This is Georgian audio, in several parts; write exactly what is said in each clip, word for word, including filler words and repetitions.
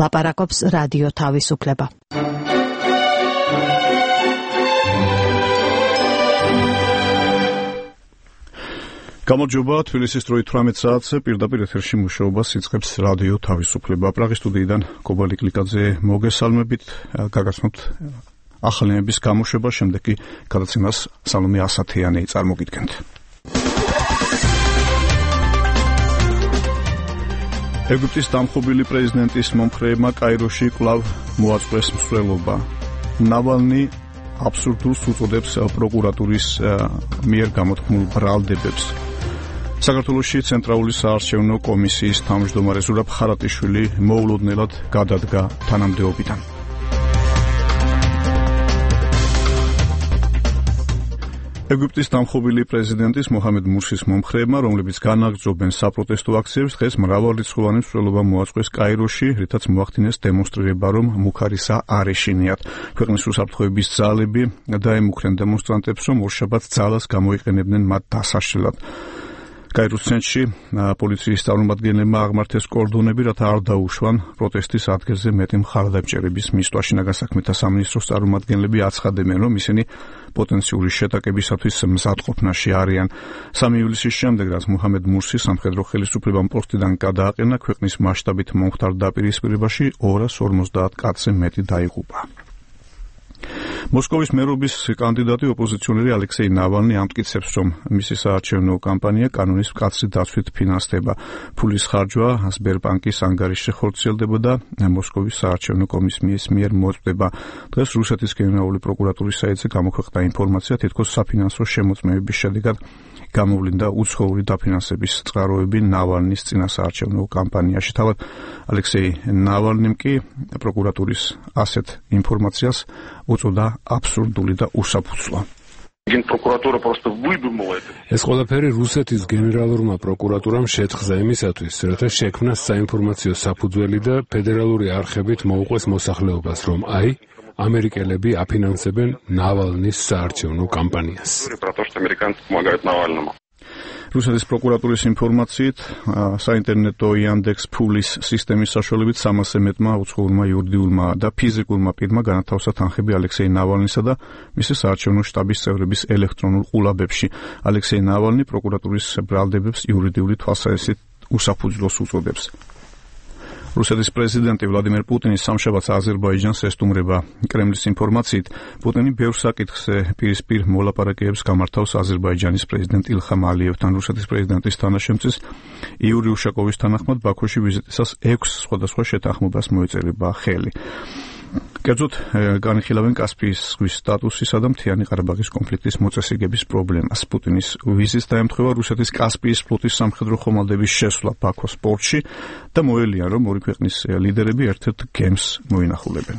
ლაპარაკობს რადიო თავისუფლება. გამარჯობა, თბილისის დროით თვრამეტ საათზე პირდაპირ ეთერში მუშაობას იწყებს რადიო თავისუფლება. პრაღის სტუდიიდან კობალი კლიკაძე მოგესალმებით, გაგაცნობთ ახალი ნების გამოშვება, შემდეგ კი გადაცემას სალომე ასათიანი წარმოგიდგენთ. ეგვიპტის დამხობილი პრეზიდენტის მომხრეებმა კაიროში კვლავ მოაწყვეს მსვლელობა. ნავალნი აბსურდულს უწოდებს პროკურატურის მიერ გამოთქმულ ბრალდებებს. საქართველოში ცენტრალური საარჩევნო კომისიის თავმჯდომარე ზურაბ ხარატიშვილი მოულოდნელად გადადგა თანამდებობიდან. ეგვიპტის დამხობილი პრეზიდენტის მოჰამედ მურსის მომხრეებმა, რომლებიც განაგრძობენ საპროტესტო აქციებს, დღეს მრავალრიცხოვანი მსვლელობა მოაწყვეს კაიროში, რითაც მოახდინეს დემონსტრირება, რომ მუქარისა არ ეშინიათ. ქვეყნის უსაფრთხოების ძალები დაემუქრენ დემონსტრანტებს, რომ ორშაბათს ძალას გამოიყენებდნენ მათ დასაშლელად. კაიროს ცენტრში პოლიციის წარმომადგენლებმა აღმართეს კორდონები, რათა არ დაუშვან პროტესტის ადგილზე მეტი მხარდამჭერების მისვლა. შინაგან საქმეთა სამინისტროს წარმომადგენლები აცხადებენ, რომ ისინი პოტენციური შეტაკებისათვის მზადყოფნაში არიან. სამი ივლისის შემდეგ, რაც მოჰამედ მურსი სამხედრო ხელისუფლებამ პოსტიდან გადააყენა, ქვეყნის მასშტაბით მომხდარ დაპირისპირებაში ორას ორმოცდაათ კაცზე მეტი დაიღუპა. მოსკოვის მერობის კანდიდატი ოპოზიციონერი ალექსეი ნავალნი ამტკიცებს, რომ მისი საარჩევნო კამპანია კანონის მკაცრი დაცვით ფინანსდება. ფულის ხარჯვა სბერბანკის ანგარიშზე ხორციელდება და მოსკოვის საარჩევნო კომისიის მიერ მოწვდება. დღეს რუსეთის გენერალური პროკურატურის საიტზე გამოქვეყნდა ინფორმაცია, თითქოს საფინანსო შემოწმების შედეგად გამოვლინდა უცხოური დაფინანსების წყაროები ნავალნის წინასაარჩევნო კამპანიაში. თავად ალექსეი ნავალნიმ კი პროკურატურის ასეთ ინფორმაციას უწოდა აბსურდული და უსაფუძვლო. ეს ყველაფერი რუსეთის გენერალურმა პროკურატურამ შეთხზა იმისათვის, რათა შექმნას საინფორმაციო საფუძველი და ფედერალური არხებით მოუყვეს მოსახლეობას, რომ აი ამერიკელები აფინანსებენ ნავალნის საარჩევნო კამპანიას. რუსეთის პროკურატურის ინფორმაციით, საინტერნეტო იანდექს ფულის სისტემის საშუალებით სამასზე მეტმა უცხოურმა იურიდიულმა და ფიზიკურმა პირმა განათავსა თანხები ალექსეი ნავალნისა და მისი საარჩევნო შტაბის წევრების ელექტრონულ ყურაბებში. ალექსეი ნავალნი პროკურატურის ბრალდებებს იურიდიული თვალსაზრისით უსაფუძვლოს უწოდებს. რუსეთის პრეზიდენტი ვლადიმერ პუტინი სამშაბათს აზერბაიჯანს ესტუმრება. კრემლის ინფორმაციით, პუტინი ბევრ საკითხზე პირისპირ მოლაპარაკებებს გამართავს აზერბაიჯანის პრეზიდენტ ილხამ ალიევთან. რუსეთის პრეზიდენტის თანაშემწის იური უშაკოვის თანახმად ბაქოში ვიზიტისას ექვს სხვადასხვა შეთანხმებას მოეწერება ხელი. კერძოდ განიხილავენ კასპიის ზღვის სტატუსისა და მთიანი ყარაბაღის კონფლიქტის მოწესრიგების პრობლემას. პუტინის ვიზიტს დაემთხვა რუსეთის კასპიის ფლოტის სამხედრო ხომალდების შესვლა ბაქოს პორტში და მოელიან, რომ ორი ქვეყნის ლიდერები ერთ-ერთ გემს მოინახულებენ.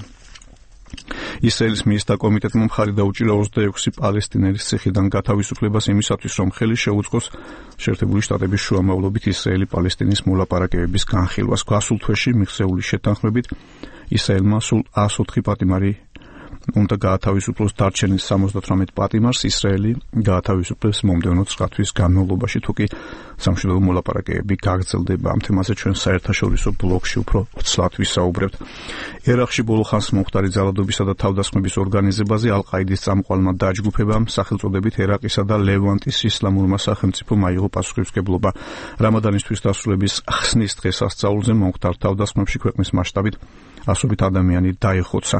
ისრაელის მინისტრთა კომიტეტმა მხარი დაუჭირა ოცდაექვსი პალესტინელის ციხიდან გათავისუფლებას იმისათვის, რომ ხელი შეუწყოს შეერთებული შტატების შუამავლობით ისრაელი-პალესტინის მოლაპარაკებების განხილვას. გასულ თვეში მიღწეული შეთანხმებით ისრაელმა სულ ას ოთხი პატიმარი უნდა გაათავისუფლოს, დარჩენილ სამოცდათვრამეტ პატიმარს ისრაელი გაათავისუფლებს მომდევნო ცხრა თვის განმავლობაში, თუ კი სამშვიდობო მოლაპარაკებები გაგრძელდება. ამ თემაზე ჩვენ საერთაშორისო ბლოგში უფრო ცლად ვისაუბრებთ. ერაყში ბოლო ხანს მომხდარი ძალადობისა და თავდასხმების ორგანიზებაზე ალ-ყაიდის წამყვანმა დაჯგუფებამ სახელწოდებით ერაყისა და ლევანტის ისლამურმა სახელმწიფომ აიღო პასუხისმგებლობა. რამადანისთვის დასრულების ხსნის დღესასწაულზე მომხდარ თავდასხმებში ქვეყნის მასშტაბით ასობით ადამიანი დაიხოცა.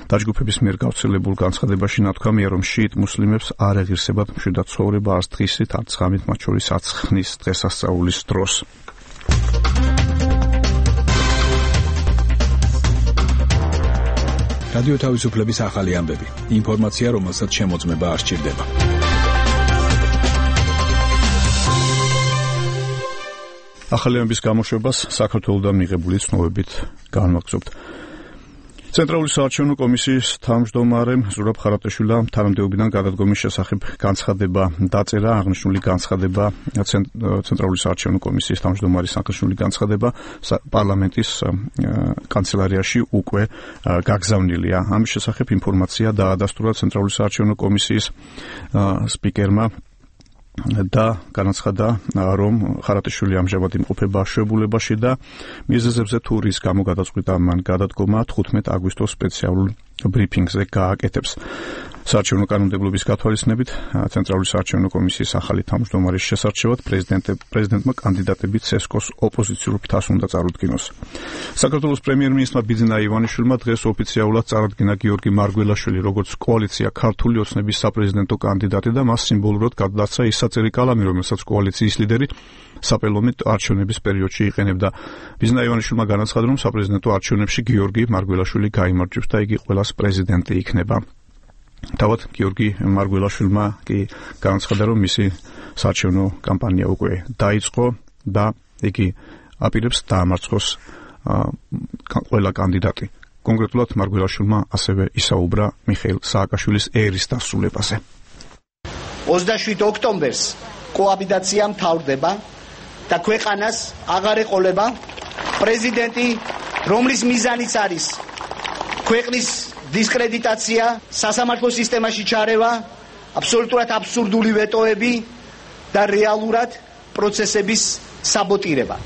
დაჯგუფების მიერ გავრცელებულ განცხადებაში ნათქვამია, რომ შიიტ მუსლიმებს არ ეღირსებათ მშვიდად ცხოვრება არც დღისით, არც ღამით, მათ შორის არც ხნის დღესასწაულის დროს. რადიო თავისუფლების ახალი ამბები. ინფორმაცია, რომელსაც შემოწმება არ სჭირდება. ახალი ამბების გამოშვებას საქართველოსთან მიღებული ცნობებით განვაგრძობთ. ცენტრალური საარჩევნო კომისიის თავმჯდომარემ ზურაბ ხარატიშვილმა თანამდებობიდან გადადგომის შესახებ განცხადება დაწერა. აღნიშნული განცხადება ცენტრალური საარჩევნო კომისიის თავმჯდომარის აღნიშნული განცხადება პარლამენტის კანცელარიაში უკვე გაგზავნილია. ამის შესახებ ინფორმაცია დაადასტურა ცენტრალური საარჩევნო კომისიის სპიკერმა და განაცხადა, რომ ხარატიშვილი ამჟამად იმყოფება აშვებულებაში და მიზეზებზე თუ რის გამო გადაწყვიტა მან გადადგომა თხუთმეტ აგვისტოს სპეციალურ ბრიფინგზე გააკეთებს. საარჩევნო კანონმდებლობის გათვალისწინებით ცენტრალური საარჩევნო კომისიის ახალი თავმჯდომარის შესარჩევად პრეზიდენტმა კანდიდატები ცესკოს ოპოზიციურ ფრთას უნდა წარუდგინოს. საქართველოს პრემიერ-მინისტრმა ბიძინა ივანიშვილმა დღეს ოფიციალურად წარადგინა გიორგი მარგველაშვილი როგორც კოალიცია ქართული ოცნების საპრეზიდენტო კანდიდატი და მას სიმბოლურად გადააცა ის საწერი კალამი, რომელსაც კოალიციის ლიდერი საპარლამენტო არჩევნების პერიოდში იყენებდა. ბიძინა ივანიშვილმა განაცხადა, რომ საპრეზიდენტო არჩევნებში გიორგი მარგველაშვილი გაიმარჯვებს და იგი ყველას პრეზიდენტი იქნება. თავად გიორგი მარგველაშვილმა კი განაცხადა, რომ მისი საარჩევნო კამპანია უკვე დაიწყო და იგი აპირებს დაამარცხოს ყველა კანდიდატი. კონკრეტულად მარგველაშვილმა ასევე ისაუბრა მიხეილ სააკაშვილის ერის დასრულებაზე. ოცდაშვიდ ოქტომბერს კოაბიტაცია მთავრდება და ქვეყანას აღარ ეყოლება პრეზიდენტი, რომლის მიზანიც არის ქვეყნის დისკრედიტაცია, სასამართლო სისტემაში ჩარევა, აბსოლუტურად აბსურდული ვეტოები და რეალურად პროცესების საბოტირება.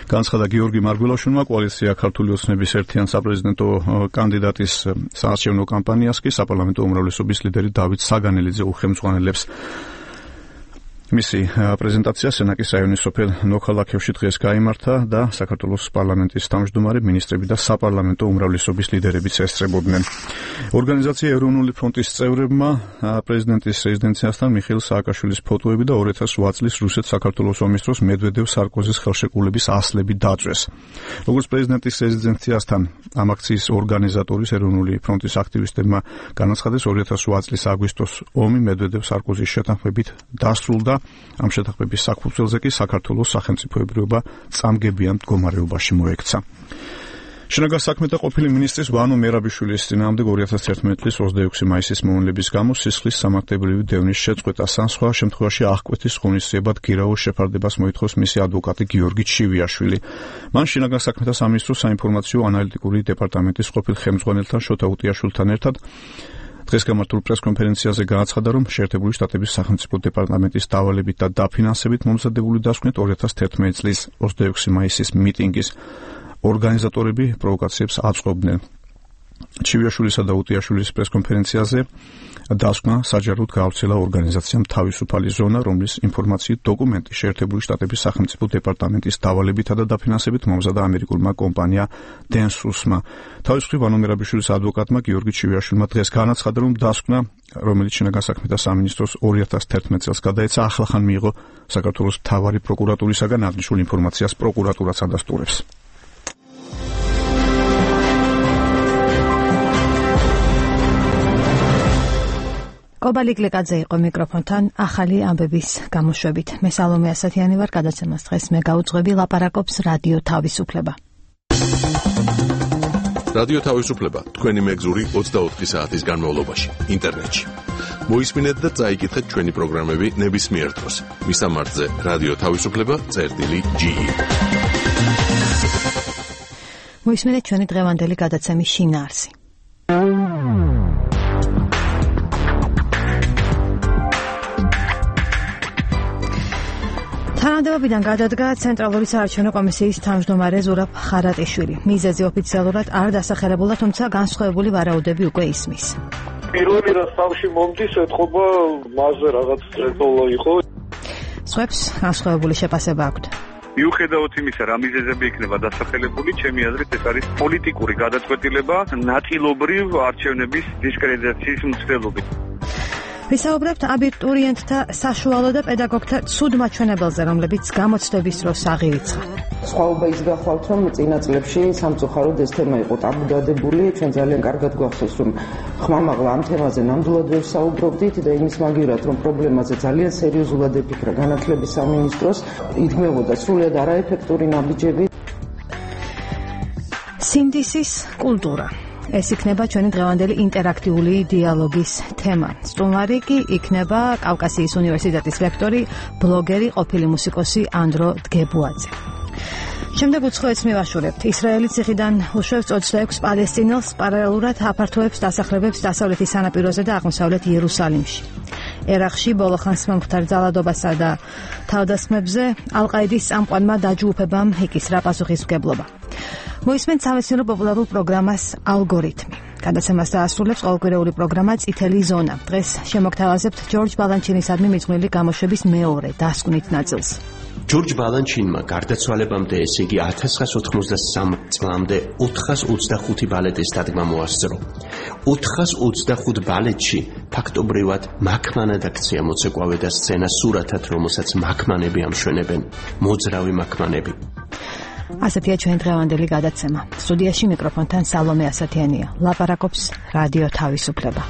განაცხადა გიორგი მარგველაშვილმა კოალიცია ქართული ოცნების ერთიან საპრეზიდენტო კანდიდატის საარჩევნო კამპანიას კი საპარლამენტო უმრავლესობის ლიდერი დავით საგანელიძე უხელმძღვანელებს. მისი პრეზენტაცია სენაკის რაიონის სოფელ ნოქალაქევში დღეს გაიმართა და საქართველოს პარლამენტის თავმჯდომარე, მინისტრები და საპარლამენტო უმრავლესობის ლიდერებიც ესწრებოდნენ. ორგანიზაცია ეროვნული ფრონტის წევრებმა პრეზიდენტის რეზიდენციასთან მიხეილ სააკაშვილის ფოტოები და ორი ათას ოთხ წლის რუსეთ-საქართველოს ომის დროს მედვედევ-სარკოზის ხელშეკრულების ასლები დაჭრეს. როგორც პრეზიდენტის რეზიდენციასთან ამ აქციის ორგანიზატორის ეროვნული ფრონტის აქტივისტებმა განაცხადეს, ორი ათას ოთხ წლის აგვისტოს ომი მედვედევ-სარკოზის შეთანხმებით დასრულდა. ამ შეთანხმების საფუძველზე კი საქართველოს სახელმწიფოებრიობა წამგებიან მდგომარეობაში მოექცა. შინაგან საქმეთა ყოფილი მინისტრის ვანო მერაბიშვილის წინააღმდეგ ორი ათას ერთმანეტ წლის ოცდაექვსი მაისის მოვლენების გამო სისხლის სამართლებრივი დევნის შეწყვეტას ან სხვა შემთხვევაში აღკვეთის ღონისძიებად გირაოს შეფარდებას მოითხოვს მისი ადვოკატი გიორგი ჩივიაშვილი. მან შინაგან საქმეთა სამინისტროს საინფორმაციო ანალიტიკური დეპარტამენტის ყოფილ ხელმძღვანელთან შოთა უტიაშვილთან ერთად დღეს გამართულ პრესკონფერენციაზე განაცხადა, რომ შეერთებული შტატების სახელმწიფო დეპარტამენტის დავალებით და დაფინანსებით მომზადებული დასკვნით ორი ათას თერთმეტ წლის ოცდაექვსი მაისის მიტინგის ორგანიზატორები პროვოკაციებს აწყობდნენ. ჩივიაშვილისა და უტიაშვილის პრესკონფერენციაზე დასკვნა საჯაროდ გაავრცელა ორგანიზაციამ თავისუფალი ზონა, რომლის ინფორმაციით დოკუმენტი შეერთებული შტატების სახელმწიფო დეპარტამენტის დავალებითა და დაფინანსებით მომზადა ამერიკულმა კომპანია დენსუსმა. თავის მხრივ ვანო მერაბიშვილის ადვოკატმა გიორგი ჩივიაშვილმა დღეს განაცხადა, რომ დასკვნა, რომელიც შინაგან საქმეთა სამინისტროს ორი ათას თერთმეტ წელს გადაეცა, ახლახან მიიღო საქართველოს მთავარი პროკურატურისაგან, აღნიშნულ ინფორმაციას პროკურატურაც ადასტურებს. კობალი გლეკაძე იყო მიკროფონთან ახალი ამბების გამოშვებით. მე სალომე ასათიანი ვარ, გადაცემას დღეს მე გაუძღვები, ლაპარაკობს რადიო თავისუფლება. რადიო თავისუფლება თქვენი მეგზური ოცდაოთხი საათის განმავლობაში ინტერნეტში. მოისმინეთ და წაიკითხეთ ჩვენი პროგრამები ნებისმიერ დროს. მისამართზე რადიო თავისუფლება წერტილი ჯი ი. მოისმინეთ ჩვენი დღევანდელი გადაცემის შინაარსი. თანამდებობიდან გადადგა ცენტრალური საარჩევნო კომისიის თავმჯდომარე ზურაბ ხარატიშვილი. მიზეზი ოფიციალურად არ დასახელებულა, თუმცა განსხვავებული ვარაუდები უკვე ისმის. პირველი რაც თავში მომდის, ეთყობა მასზე რაღაც წერტოლა იყო. სხვებს განსხვავებული შეფასება აქვთ. მიუხედავად იმისა, რა მიზეზები იქნება დასახელებული, ჩემი აზრით ეს არის პოლიტიკური გადაწყვეტილება ნაწილობრივ არჩევნების დისკრედიტაციის მცდელობით. ვისაუბრებთ აბიტურიენტთა საშუალო და პედაგოგთა ცუდ მაჩვენებელზე, რომლებიც გამოცდების დროს აღირიცხა. სხვაობა ის გახლავთ, რომ წინა წლებში სამწუხაროდ ეს თემა იყო ტაბუდადებული. ჩვენ ძალიან კარგად გვახსოვს, რომ ხმამაღლა ამ თემაზე ნამდვილად ვერ საუბრობდით და იმის მაგივრად, რომ პრობლემაზე ძალიან სერიოზულად ეფიქრა განათლების სამინისტროს, იდგმებოდა სრულიად არაეფექტური ნაბიჯები. სინდისის კულტურა. ეს იქნება ჩვენი დღევანდელი ინტერაქტიული დიალოგის თემა. სტუმარი კი იქნება კავკასიის უნივერსიტეტის ლექტორი, ბლოგერი, ყოფილი მუსიკოსი ანდრო დგებუაძე. შემდეგ უცხოეთს მივაშურებთ. ისრაელი ციხიდან უშვებს ოცდაექვსი პალესტინელს, პარალელურად აფართოებს დასახლებებს დასავლეთის სანაპიროზე და აღმოსავლეთ იერუსალიმში. ერაყში ბოლო ხანს მომხდარ ძალადობასა და თავდასხმებზე ალ-ყაიდის წამყვანმა დაჯგუფებამ იკისრა პასუხისმგებლობა. მოისმენთ სამეცნიერო პოპულარულ პროგრამას ალგორითმი. გადაცემას დაასრულებს ყოველკვირეული პროგრამა წითელი ზონა. დღეს შემოგთავაზებთ ჯორჯ ბალანჩინისადმი მიძღვნილი გამოშვების მეორე დასკვნით ნაწილს. ჯორჯ ბალანჩინმა გარდაცვალებამდე, ესე იგი ათას ცხრაას ოთხმოცდასამ წლამდე ოთხას ოცდახუთი ბალეტის დადგმა მოასწრო. ოთხას ოცდახუთ ბალეტში ფაქტობრივად მაქმანად აქცია მოცეკვავე და სცენა სურათად, რომელსაც მაქმანები ამშვენებენ, მოძრავი მაქმანები. ასეთია ჩვენ დღევანდელი გადაცემა. სტუდიაში მიკროფონთან სალომე ასათიანია. ლაპარაკობს რადიო თავისუფლება.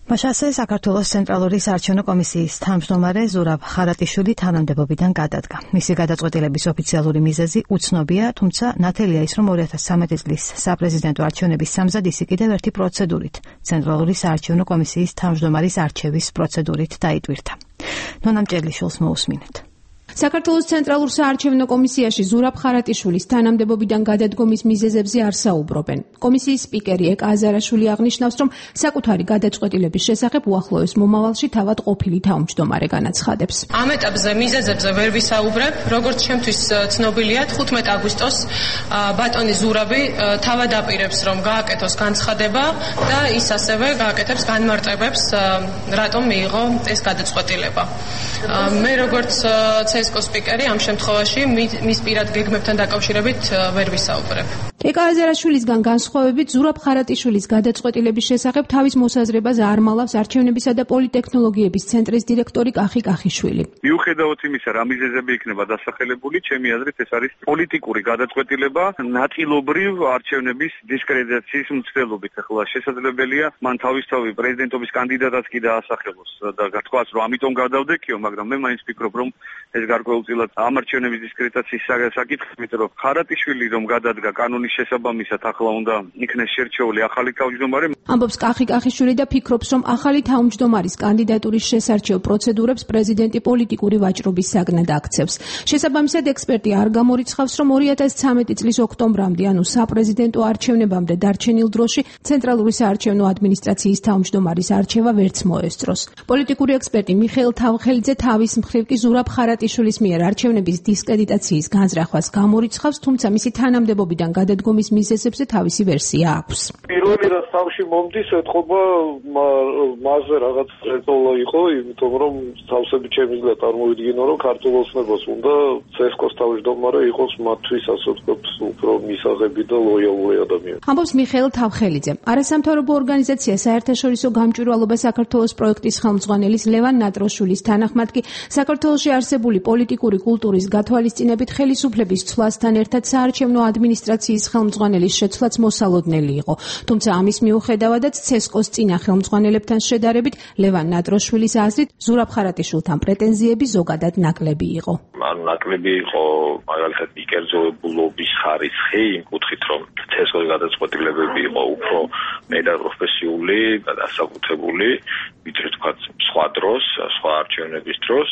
მაშასე საქართველოს ცენტრალური საარჩევნო კომისიის თავმჯდომარე ზურაბ ხარატიშვილი თანამდებობიდან გადადგა. მისი გადაწყვეტილების ოფიციალური მიზეზი უცნობია, თუმცა ნათელია ის, რომ ორი ათას სამი წლის საპრეზიდენტო არჩევნების სამზად ისი კიდევ ერთი პროცედურით, ცენტრალური საარჩევნო კომისიის თავმჯდომარის არჩევის პროცედურით დაიტვირთა. ნონა მჭედლიშვილს მოусმინეთ. საქართველოს ცენტრალურ საარჩევნო კომისიაში ზურაბ ხარატიშვილის თანამდებობიდან გადადგომის მიზეზებზე არ საუბრობენ. კომისიის სპიკერი ეკა აზარაშვილი აღნიშნავს, რომ საკუთარი გადაწყვეტილების შესახებ უახლოეს მომავალში თავად ყოფილი თავმჯდომარე განაცხადებს. ამ ეტაპზე მიზეზებზე ვერ ვისაუბრებ, როგორც ჩემთვის ცნობილია, თხუთმეტ აგვისტოს ბატონი ზურაბი თავად აპირებს, რომ გააკეთოს განცხადება და ის ასევე გააკეთებს განმარტებებს, რატომ მიიღო ეს გადაწყვეტილება. მე როგორც ცესკოს სპიკერი ამ შემთხვევაში მის პირად გეგმებთან დაკავშირებით ვერ ვისაუბრებ. ეკა აზარაშვილისგან განსხვავებით ზურაბ ხარატიშვილის გადაწყვეტილების შესახებ თავის მოსაზრებას არ მალავს არჩევნებისა და პოლიტექნოლოგიების ცენტრის დირექტორი კახი კახიშვილი. მიუხედავად იმისა, რა მიზეზები იქნება დასახელებული, ჩემი აზრით ეს არის პოლიტიკური გადაწყვეტილება ნაწილობრივ არჩევნების დისკრედიტაციის მცდელობით. ახლა შესაძლებელია მან თავისთავად პრეზიდენტობის კანდიდატად კი დაასახელოს და გათქვას, რომ ამიტომ გადავდექიო, მაგრამ მე მაინც ვფიქრობ, რომ ეს გარკვეულწილად ამ არჩევნების დისკრედიტაციის საკითხი, იმიტომ რომ ხარატიშვილი რომ გადადგა კანონის შესაბამისად ახლა უნდა იქნეს შერჩეული ახალი თავმჯდომარე. ამბობს კახი კახიშვილი და ფიქრობს, რომ ახალი თავმჯდომარის კანდიდატურის შესარჩევ პროცედურებს პრეზიდენტი პოლიტიკური ვაჭრობის საგნად აქცევს. შესაბამისად ექსპერტი არ გამორიცხავს, რომ ორი ათას ცხრამეტი წლის ოქტომბრამდე, ანუ საპრეზიდენტო არჩევნებამდე დარჩენილ დროში ცენტრალური საარჩევნო ადმინისტრაციის თავმჯდომარის არჩევა ვერც მოესწროს. პოლიტიკური ექსპერტი მიხეილ თავხელიძე თავის მხრივ კი ზურაბ ხარატიშვილის მიერ არჩევნების დისკრედიტაციის განზრახვას გამორიცხავს, თუმცა მისი თანამდებობიდან გადადგომის მიზეზებზე თავისი ვერსია აქვს. პირველი რაც თავში მომდის, ეთყობა მასზე რაღაც წეწოლა იყო, იმიტომ რომ თავსები ჩემი წარმოვიდგინო, რომ ქართულ ოცნებას უნდა ცესკოს თავმჯდომარე იყოს მათთვის, ასე ვთქვათ, უფრო მისაღები და ლოიალური ადამიანი. ამბობს მიხეილ თავხელიძე. არასამთავრობო ორგანიზაცია საერთაშორისო გამჭვირვალობა საქართველოს პროექტის ხელმძღვანელის ლევან ნატროშვილის თანახმად კი საქართველოში არსებული პოლიტიკური კულტურის გათვალისწინებით ხელისუფლების ცვლასთან ერთად საარჩევნო ადმინისტრაციის ხელმძღვანელის შეცვლაც მოსალოდნელი იყო. თუმცა ამის მიუხედავადაც ცესკოს წინა ხელმძღვანელებთან შედარებით ლევან ნატროშვილის აზრით ზურაბ ხარატიშვილთან პრეტენზიები ზოგადად ნაკლები იყო. ანუ ნაკლები იყო მაგალითად მიკერძოებულობის ხარისხი იმ კუთხით, რომ ცესკოს გადაწყვეტილებები იყო უფრო მეტად პროფესიული და დასაკუთრებული, ვიდრე თქვა სხვა დროს, სხვა არჩევნების დროს.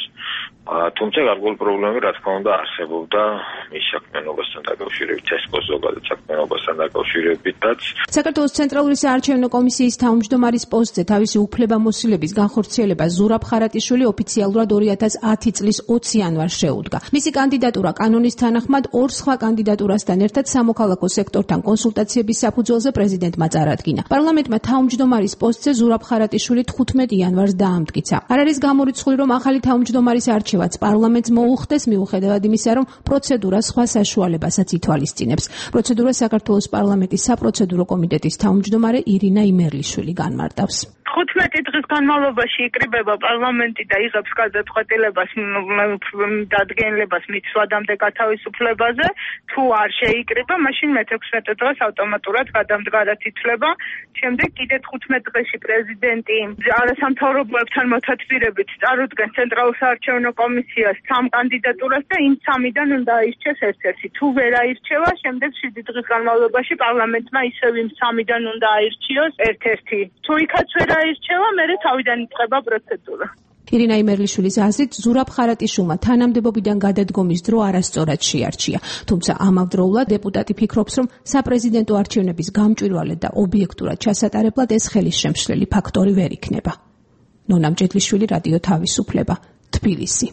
თუმცა გარკვეული პრობლემები რა თქმა უნდა არსებობდა მის საქმიანობასთან დაკავშირებით, ცესკოს ზოგადად საქმიანობასთან დაკავშირებითაც. საქართველოს ცენტრალური საარჩევნო კომისიის თავმჯდომარის პოსტზე თავისი უფლებამოსილების განხორციელება ზურაბ ხარატიშვილი ოფიციალურად ორი ათას ათი წლის ოცი იანვარს შეუდგა. მისი კანდიდატურა კანონის თანახმად ორ სხვა კანდიდატურასთან ერთად სამოქალაქო სექტორთან კონსულტაციების საფუძველზე პრეზიდენტმა წარადგინა. პარლამენტმა თავმჯდომარის პოსტზე ზურაბ ხარატიშვილი თხუთმეტ იანვარს დაამტკიცა. არ არის გამორიცხული, რომ ახალი თავმჯდომარის არჩევა პარლამენტს მოუხდეს, მიუხედავად იმისა, რომ პროცედურა სხვა საშუალებასაც ითვალისწინებს. პროცედურა საქართველოს პარლამენტის საპროცედურო კომიტეტის თავმჯდომარე ირინა იმერლიშვილი განმარტავს. თხუთმეტი დღის განმავლობაში იკრიბება პარლამენტი და იღებს გადაწყვეტილებას დადგენილებას მიცვადამდე გათავისუფლებაზე. თუ არ შეიკრიბა, მაშინ მეთექვსმეტ დღეს ავტომატურად გადამდგარად ითვლება. შემდეგ კიდე თხუთმეტ დღეში პრეზიდენტი არასამთავრობოებთან მოთათბირებით წარუდგენს ცენტრალურ საარჩევნო კომისიას სამ კანდიდატურას და იმ სამიდან უნდა აირჩეს ერთ-ერთი. თუ ვერ აირჩევა, შემდეგ შვიდი დღის განმავლობაში პარლამენტმა ისევ იმ სამიდან უნდა აირჩიოს ერთ-ერთი. თუ იქაც ვერ აირჩევა, მერე თავიდან იწყება პროცედურა. ირინა იმერლიშვილის აზრით, ზურაბ ხარატიშვილმა თანამდებობიდან გადადგომის დრო არასწორად შეარჩია. თუმცა ამავდროულად დეპუტატი ფიქრობს, რომ საპრეზიდენტო არჩევნების გამჭვირვალედ და ობიექტურად ჩასატარებლად ეს ხელისშემშლელი ფაქტორი ვერ იქნება. ნონა მჭედლიშვილი, რადიო თავისუფლება, თბილისი.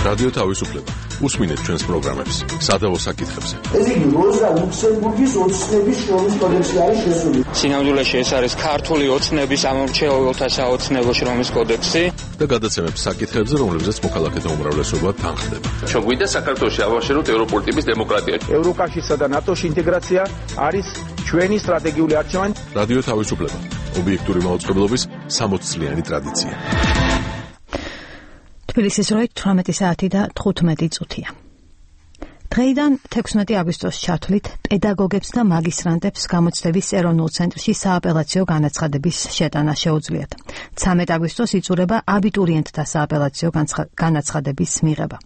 რადიო თავისუფლება. უსმინეთ ჩვენს პროგრამებს სადავო საკითხებზე. ეს იგი როზა ლუქსემბურგის ოცნების შრომის კოდექსი არის შესული. სინამდვილეში ეს არის ქართული ოცნების ამორჩეულთა საოცნებო შრომის კოდექსი და გადაცემებს საკითხებზე, რომლებზეც მოქალაქეთა უმრავლესობა თანხდება. ჩვენ გვინდა საქართველოში ავაშენოთ ევროპული ტიპის დემოკრატია. ევროკავშირსა და ნატოში ინტეგრაცია არის ჩვენი სტრატეგიული არჩევანი. რადიო თავისუფლება. ობიექტური მაუწყებლობის სამოც წლიანი ტრადიცია. თბილისის როით თვრამეტი საათი და თხუთმეტი წუთია. დღეიდან თექვსმეტი აგვისტოს ჩათვლით პედაგოგებს და მაგისტრანტებს გამოცდების ეროვნულ ცენტრში სააპელაციო განაცხადების შეტანა შეუძლიათ. ცამეტი აგვისტოს იწურება აბიტურიენტთა სააპელაციო განაცხადების მიღება.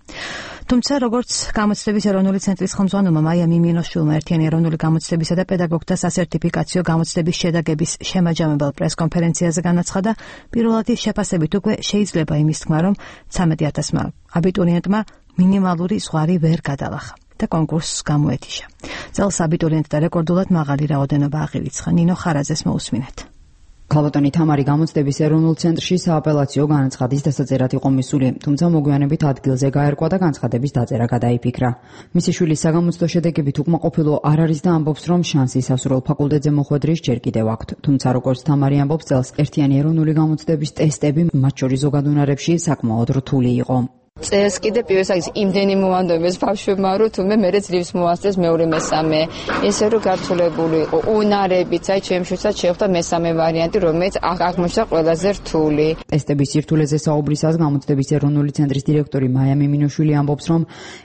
თუმცა როგორც გამოცდების ეროვნული ცენტრის ხელმძღვანელმა მაია მიმინოშვილმა ერთიანი ეროვნული გამოცდებისა და პედაგოგთა სასერტიფიკაციო გამოცდების შედაგების შემაჯამებელ პრესკონფერენციაზე განაცხადა, პირველადი შეფასებით უკვე შეიძლება იმის თქმა, რომ ცამეტი ათასმა აბიტურიენტმა მინიმალური ზღვარი ვერ გადალახა და კონკურსს გამოეთიშა. წელს აბიტურიენტთა რეკორდულად მაღალი რაოდენობა აღირიცხა. ნინო ხარაძეს მოусმინეთ. ქალბატონი თამარი გამოცდების ეროვნულ ცენტრში სააპელაციო განაცხადის დასაწერად იყო მისული, თუმცა მოგვიანებით ადგილზე გაერკვა და განცხადების დაწერა გადაიფიქრა. მისი შვილის საგამოცდო შედეგებით უკმაყოფილო არ არის და ამბობს, რომ შანსი სასურველ ფაკულტეტზე მოხვედრის ჯერ კიდევ აქვთ. თუმცა როგორც თამარი ამბობს, წელს ერთიანი ეროვნული გამოცდების ტესტები, მათ შორის ზოგადუნარებში, საკმაოდ რთული იყო. წელს კიდე პირველ საგის იმდენი მოვანდობეს ბავშვებმა, რომ თუმე მერე ძლივს მოასწრეს მეორე მესამე. ესე რომ გართულებული იყო უნარებით, აი ჩემშუცად შეხვდა მესამე ვარიანტი, რომელიც აღმოჩნდა ყველაზე რთული. ტესტების სირთულეზე საუბრისას გამოცდების ეროვნული ცენტრის დირექტორი მაია მიმინოშვილი ამბობს, რომ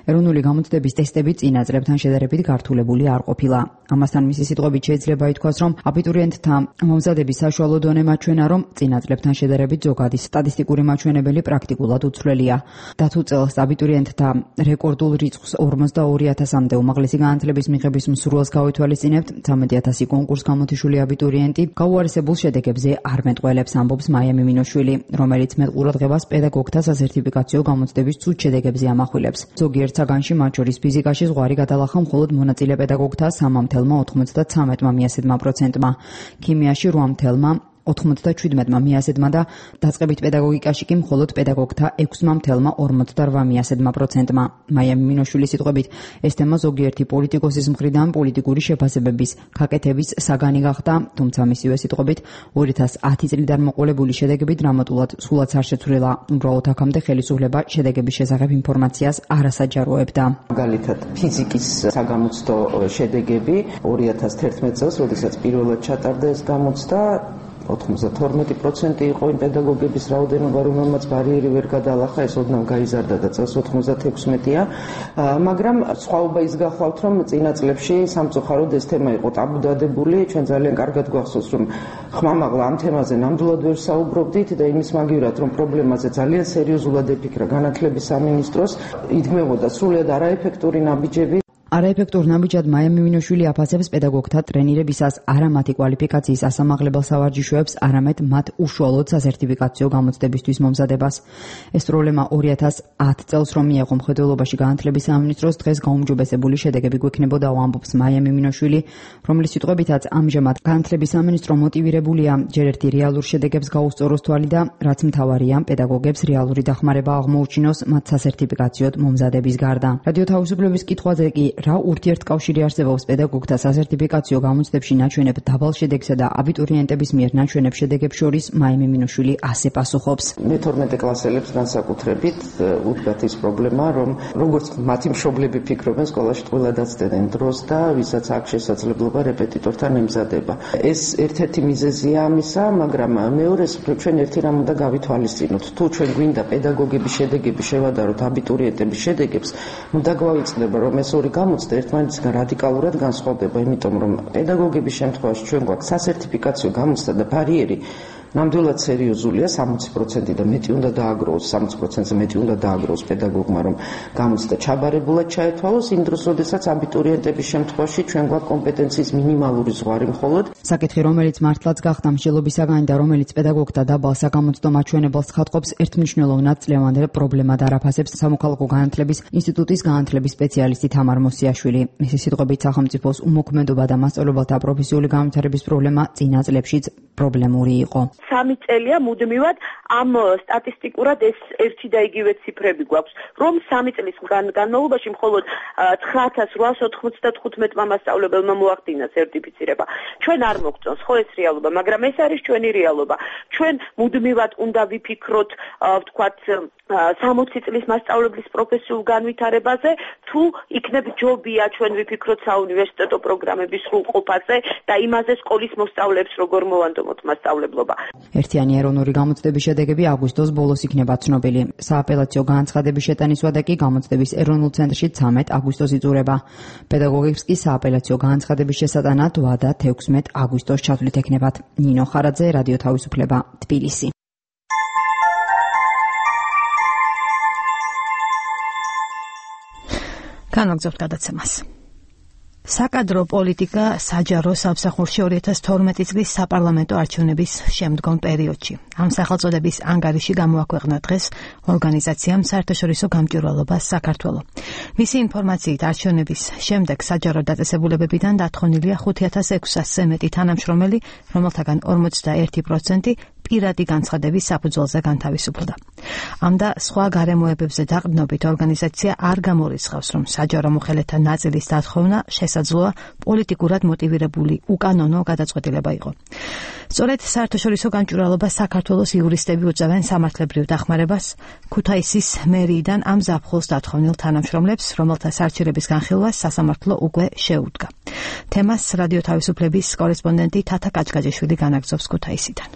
ეროვნული გამოცდების ტესტები წინა წლებთან შედარებით გართულებული არ ყოფილა. ამასთან მისი სიტყვებით შეიძლება ითქვას, რომ აბიტურიენტთა მომზადების საშუალო დონე მაჩვენა, რომ წინა წლებთან შედარებით ზოგადი სტატისტიკური მაჩვენებელი პრაქტიკულად უცვლელია. და თუ წელს აბიტურიენტთა რეკორდულ რიცხვს ორმოცდაორი ათასამდე უმაღლესი განათლების მიღების მსურველს გავითვალისწინებთ, ცამეტი ათასი კონკურს გამოთიშული აბიტურიენტი გაუარესებულ შედეგებზე არ მეტყველებს, ამბობს მაია მიმინოშვილი, რომელიც მეტყურადღებას პედაგოგთა სასერტიფიკაციო გამოცდების ცუდ შედეგებზე ამახვილებს. ზოგიერთ საგანში, მათ შორის ფიზიკაში ზღვარი გადალახა მხოლოდ მონაწილე პედაგოგთა სამი ოცდათრამეტმა მიასედმა პროცენტმა, ქიმიაში რვა ოთხმოცდაჩვიდმეტმა მიასედმა და დაწყებით პედაგოგიკაში კი მხოლოდ პედაგოგთა ექვსი ორმოცდარვა მიასედმა პროცენტმა. მაია მიმინოშვილის სიტყვებით, ეს თემა ზოგიერთი პოლიტიკოსის მხრიდან პოლიტიკური შეფასებების გაკეთების საგანი გახდა, თუმცა მისივე სიტყვებით ორი ათას ათი წლიდან მოყოლებული შედეგები დრამატულად სულაც არ შეცვლილა. უბრალოდ აქამდე ხელისუფლება შედეგების შესახებ ინფორმაციას არ ასაჯაროებდა. მაგალითად, ფიზიკის საგამოცდო შედეგები ორი ათას თერთმეტ წელს, როდესაც პირველად ჩატარდა ეს გამოცდა, ოთხმოცდათორმეტი პროცენტი იყო იმ პედაგოგების რაოდენობა, რომელმაც ბარიერი ვერ გადალახა, ეს ოდნავ გაიზარდა და წელს ოთხმოცდათექვსმეტია, მაგრამ სხვაობა ის გახლავთ, რომ წინა წლებში სამწუხაროდ ეს თემა იყო ტაბუდადებული. ჩვენ ძალიან კარგად გვახსოვს, რომ ხმამაღლა ამ თემაზე ნამდვილად ვერ საუბრობდით და იმის მაგივრად, რომ პრობლემაზე ძალიან სერიოზულად ეფიქრა განათლების სამინისტროს, იდგმებოდა სრულიად არაეფექტური ნაბიჯები. არაეფექტურ ნაბიჯად მაია მიმინოშვილი აფასებს პედაგოგთა ტრენირებისას არა მათი კვალიფიკაციის ასამაღლებელ სავარჯიშოებს, არამედ მათ უშუალოდ სასერტიფიკაციო გამოცდებისთვის მომზადებას. ეს პრობლემა ორი ათას ათი წელს რომ მიეღო მხედველობაში განათლების სამინისტროს, დღეს გაუმჯობესებული შედეგები გვექნებოდა, ამბობს მაია მიმინოშვილი, რომლის სიტყვებითაც ამჟამად განათლების სამინისტრო მოტივირებულია ჯერ ერთი რეალურ შედეგებს გაუსწოროს თვალი და რაც მთავარია, პედაგოგებს რეალური დახმარება აღმოუჩინოს მათ სასერტიფიკაციოდ მომზადების გარდა. რადიო თავისუფლების კითხვაზე კი რა ურთიერთკავშირი არსებობს პედაგოგთა სასერტიფიკაციო გამოცდებში ნაჩვენებ დაბალ შედეგსა და აბიტურიენტების მიერ ნაჩვენებ შედეგებს შორის მაია მიმინოშვილი ასე პასუხობს. მეთორმეტე კლასელებს განსაკუთრებით უდგათ ის პრობლემა, რომ როგორც მათი მშობლები ფიქრობენ, სკოლაში ტყუილად აცდენენ დროს და ვისაც აქვს შესაძლებლობა რეპეტიტორთან ემზადება. ეს ერთ-ერთი მიზეზია ამისა, მაგრამ მეორეს ჩვენ ერთი რამ უნდა გავითვალისწინოთ. თუ ჩვენ გვინდა პედაგოგების შედეგები შევადაროთ აბიტურიენტების შედეგებს, უნდა გვავიწყდება, რომ ეს ორი გამოცდა ერთმანეთისგან რადიკალურად განსხვავდება, იმიტომ რომ პედაგოგების შემთხვევაში ჩვენ გვაქვს სასერტიფიკაციო გამოცდა და ბარიერი ნამდვილად სერიოზულია, სამოცი პროცენტი და მეტი უნდა დააგროვოს, სამოცი პროცენტზე მეტი უნდა დააგროვოს პედაგოგმა, რომ გამოცდა ჩაბარებულად ჩაეთვალოს იმ დროს, როდესაც აბიტურიენტების შემთხვევაში ჩვენ გვაქვს კომპეტენციის მინიმალური ზღვარი მხოლოდ. საკითხი, რომელიც მართლაც გახდა მსჯელობისაგანი და რომელიც პედაგოგთა დაბალ საგამოცდო მაჩვენებელს ხატყობს, ერთმნიშვნელოვნად წლევანდელ პრობლემად არაფასებს სამოქალაქო განათლების ინსტიტუტის განათლების სპეციალისტი თამარ მოსიაშვილი. მისი სიტყვებით, სახელმწიფოს უმოქმედობა და მასწავლებელთა პროფესიული განვითარების პრობლემა წინა წლებშიც პრობლემური იყო. სამი წელია მუდმივად ამ სტატისტიკურად ეს ერთი და იგივე ციფრები გვაქვს, რომ სამი წლის განმავლობაში მხოლოდ ცხრა ათას რვაასი ოთხმოცდათხუთმეტმა მასწავლებელმა მოახდინა სერტიფიცირება. ჩვენ არ მოგწონს ხო ეს რეალობა, მაგრამ ეს არის ჩვენი რეალობა. ჩვენ მუდმივად უნდა ვიფიქროთ, ვთქვათ, სამოცი წლის მასწავლებლის პროფესიულ განვითარებაზე, თუ იქნებ ჯობია ჩვენ ვიფიქროთ საუნივერსიტეტო პროგრამების სრულყოფაზე და იმაზე სკოლის მოსწავლეებს როგორ მოვანდომოთ მასწავლებლობა. ერთიანი ეროვნული გამოცდების შედეგები აგვისტოს ბოლოს იქნება ცნობილი. სააპელაციო განცხადების შეტანის ვადა კი გამოცდების ეროვნულ ცენტრში ცამეტ აგვისტოს იწურება. პედაგოგებს კი სააპელაციო განცხადების შესატანად ვადა თექვსმეტ აგვისტოს ჩათვლით ექნებათ. ნინო ხარაძე, რადიო თავისუფლება, თბილისი. განვაგრძობთ გადაცემას. საკადრო პოლიტიკა საჯარო სამსახურში ორი ათას თორმეტი წლის საპარლამენტო არჩევნების შემდგომ პერიოდში. ამ სახელწოდების ანგარიში გამოაქვეყნა დღეს ორგანიზაციამ საერთაშორისო გამჭვირვალობა საქართველო. მისი ინფორმაციით არჩევნების შემდეგ საჯარო დაწესებულებებიდან დათხოვნილია ხუთი ათას ექვსასზე მეტი თანამშრომელი, რომელთაგან ორმოცდაერთი პროცენტი პირადი განცხადების საფუძველზე განთავისუფლდა. ამ და სხვა გარემოებებზე დაყრდნობით ორგანიზაცია არ გამორიცხავს, რომ საჯარო მოხელეთა ნაწილის დათხოვნა შესაძლოა პოლიტიკურად მოტივირებული უკანონო გადაწყვეტილება იყო. სწორედ საერთაშორისო გამჭვირვალობა საქართველოს იურისტები უწევენ სამართლებრივ დახმარებას ქუთაისის მერიიდან ამ ზაფხულს დათხოვნილ თანამშრომლებს, რომელთა სარჩელების განხილვას სასამართლო უკვე შეუდგა. თემას რადიო თავისუფლების კორესპონდენტი თათა კაჭკაჭიშვილი განაგრძობს ქუთაისიდან.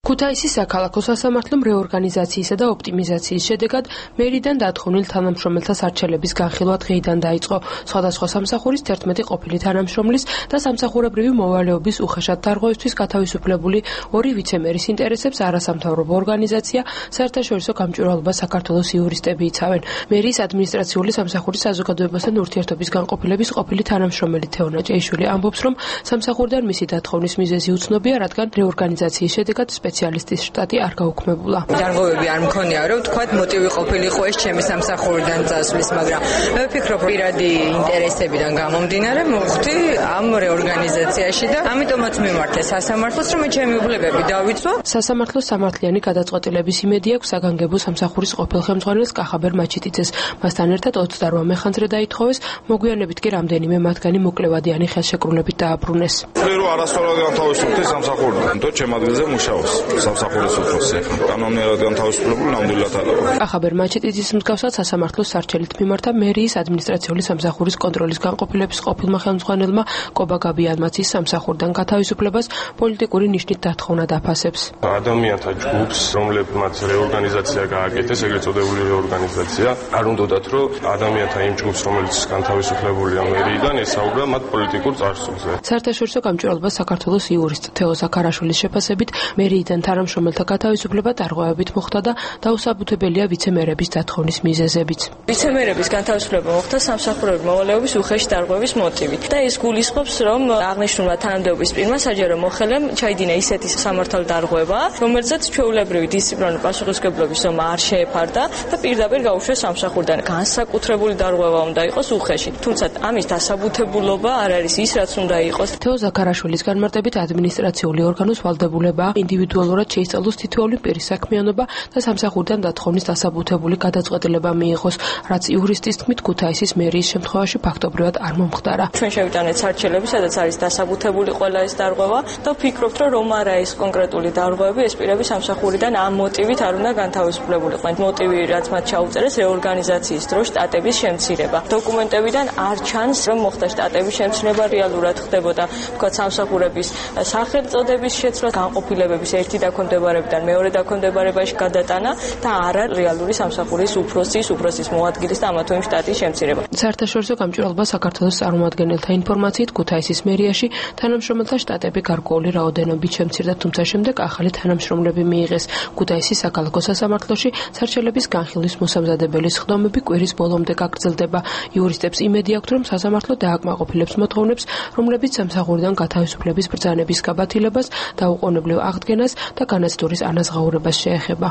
ქუთაისის საქალაქო სასამართლომ რეორგანიზაციისა და ოპტიმიზაციის შედეგად მერიდან დათხოვნილ თანამშრომელთა სარჩელების განხილვა დღეიდან დაიწყო. სხვადასხვა სამსახურის თერთმეტი ყოფილი თანამშრომლის და სამსახურებრივი მოვალეობის უხეშად დარღვევისთვის გათავისუფლებული ორი ვიცემერის ინტერესებს არასამთავრობო ორგანიზაცია საერთაშორისო გამჭვირვალობა საქართველოს იურისტები იცავენ. მერიის ადმინისტრაციული სამსახურის საზოგადოებასთან ურთიერთობის განყოფილების ყოფილი თანამშრომელი თეონა ჭეიშვილი ამბობს, რომ სამსახურიდან მისი დათხოვნის მიზეზი უცნობია, რადგან რეორგანიზაციის შედეგად სპეციალისტის შტატი არ გაუქმებულა. დარღვევები არ მქონია, რომ თქვათ მოტივი ყოფილიყო ეს ჩემი სამსახურიდან წასვლის, მაგრამ მე ვფიქრობ, პირადი ინტერესებიდან გამომდინარე მოვხდი ამ რეორგანიზაციაში და ამიტომაც მიმართე სასამართლოს, რომ ჩემი უფლებები დავიცვა. სასამართლოს სამართლიანი გადაწყვეტილების იმედი აქვს საგანგებო სამსახურის ყოფილ ხელმძღვანელს კახაბერ მაჩიტიძეს. მასთან ერთად ოცდარვა მეხანძრე დაითხოვეს, მოგვიანებით კი რამდენიმე მათგანი მოკლევადიანი ხელშეკრულებით დააბრუნეს. ვერო არასწორად განთავისუფლდი სამსახურიდან, თო ჩემ ადგილზე მუშაობს. სამსახურის უფროსი კანონიერად განთავისუფლებული ნამდვილად ალაგო. კახაბერ მაჩიტიძის მსგავსად სასამართლოს სარჩელით მიმართა მერიის ადმინისტრაციული სამსახურის კონტროლის განყოფილების ყოფილმა ხელმძღვანელმა კობა გაბიანმაც ის სამსახურიდან გათავისუფლებას პოლიტიკური ნიშნით დათხოვნა დაფასებს. ადამიანთა ჯგუფს, რომლებმაც რეორგანიზაცია გააკეთეს, ეგრეთ წოდებული რეორგანიზაცია, არ უნდათ რომ ადამიანთა იმ ჯგუფს, რომელიც განთავისუფლებულია მერიიდან, ესაუბრა მათ პოლიტიკურ წარსულზე. საერთაშორისო გამჭვირვალობა საქართველოს იურისტ თეო ზაქარაშვილის შეფასებით მერიიდან თანამშრომელთა გათავისუფლება დარღვევებით მოხდა და დაუსაბუთებელია ვიცემერების დათხოვნის მიზეზებიც. ვიცემერების განთავისუფლება მოხდა სამსახურების მოვალეობის უხეში დარღვევის მოტივით და ეს გულისხმობს, რომ აღნიშნულმა თანამდებობის პირმა საჯარო მოხელემ ჩაიდინა ისეთი სამართალ დარღვევა, რომელზეც ჩვეულებრივი დისციპლინარული პასუხისმგებლობის ზომა არ შეეფარდა და პირდაპირ გაუშვეს სამსახურიდან. განსაკუთრებული დარღვევა უნდა იყოს უხეში, თუმცა ამის დასაბუთებულობა არ არის ის, რაც უნდა იყოს. თეო ზაქარაშვილის განმარტებით ადმინისტრაციული ორგანოს ვალდებულება ინდივიდუალურად შეისწავლოს თითოეული პირის საქმიანობა და სამსახურიდან დათხოვნის დასაბუთებული გადაწყვეტილება მიიღოს, რაც იურისტის თქმით ქუთაისის მერიის შემთხვევაში ფაქტობრივად არ მომხდარა. ჩვენ შევიტანეთ სარჩელები, სადაც არის დასაბუთებული ყველა ეს დარღვევა და ვფიქრობთ, რომ რომ არა ეს კონკრეტული დარღვევები, ეს პირები სამსახურიდან ამ მოტივით არ უნდა განთავისუფლებულიყვნენ. მოტივი, რაც მათ ჩაუწერეს, რეორგანიზაციის დროს შტატების შემცირება. დოკუმენტებიდან არ ჩანს, რომ მოხდა შტატების შემცირება, რეალურად ხდებოდა, თქვა სამსახურების სახელწოდების შეცვლა, განყოფილებების ერთი დაქვემდებარებიდან მეორე დაქვემდებარებაში გადატანა და არა რეალური სამსახურის უფროსის, უფროსის მოადგილის და ამა თუ იმ შტატის შემცირება. საერთაშორისო გამჭვირვალობა საქართველოს წარმომადგენელთა ინფორმაციით ქუთაისის მერიაში თანამშრომელთა შტატები გარკვეული რაოდენობით შემცირდა, თუმცა შემდეგ ახალი თანამშრომლები მიიღეს. ქუთაისის საქალაქო სასამართლოში სარჩელების განხილვის მოსამზადებელი სხდომები კვირის ბოლომდე გაგრძელდება. იურისტებს იმედი აქვთ, რომ სასამართლო დააკმაყოფილებს მოთხოვნებს, რომლებიც სამსახურიდან გათავისუფლების ბრძანების გაბათილებას, დაუყოვნებლივ აღდგენას და განაცდურის ანაზღაურებას შეეხება.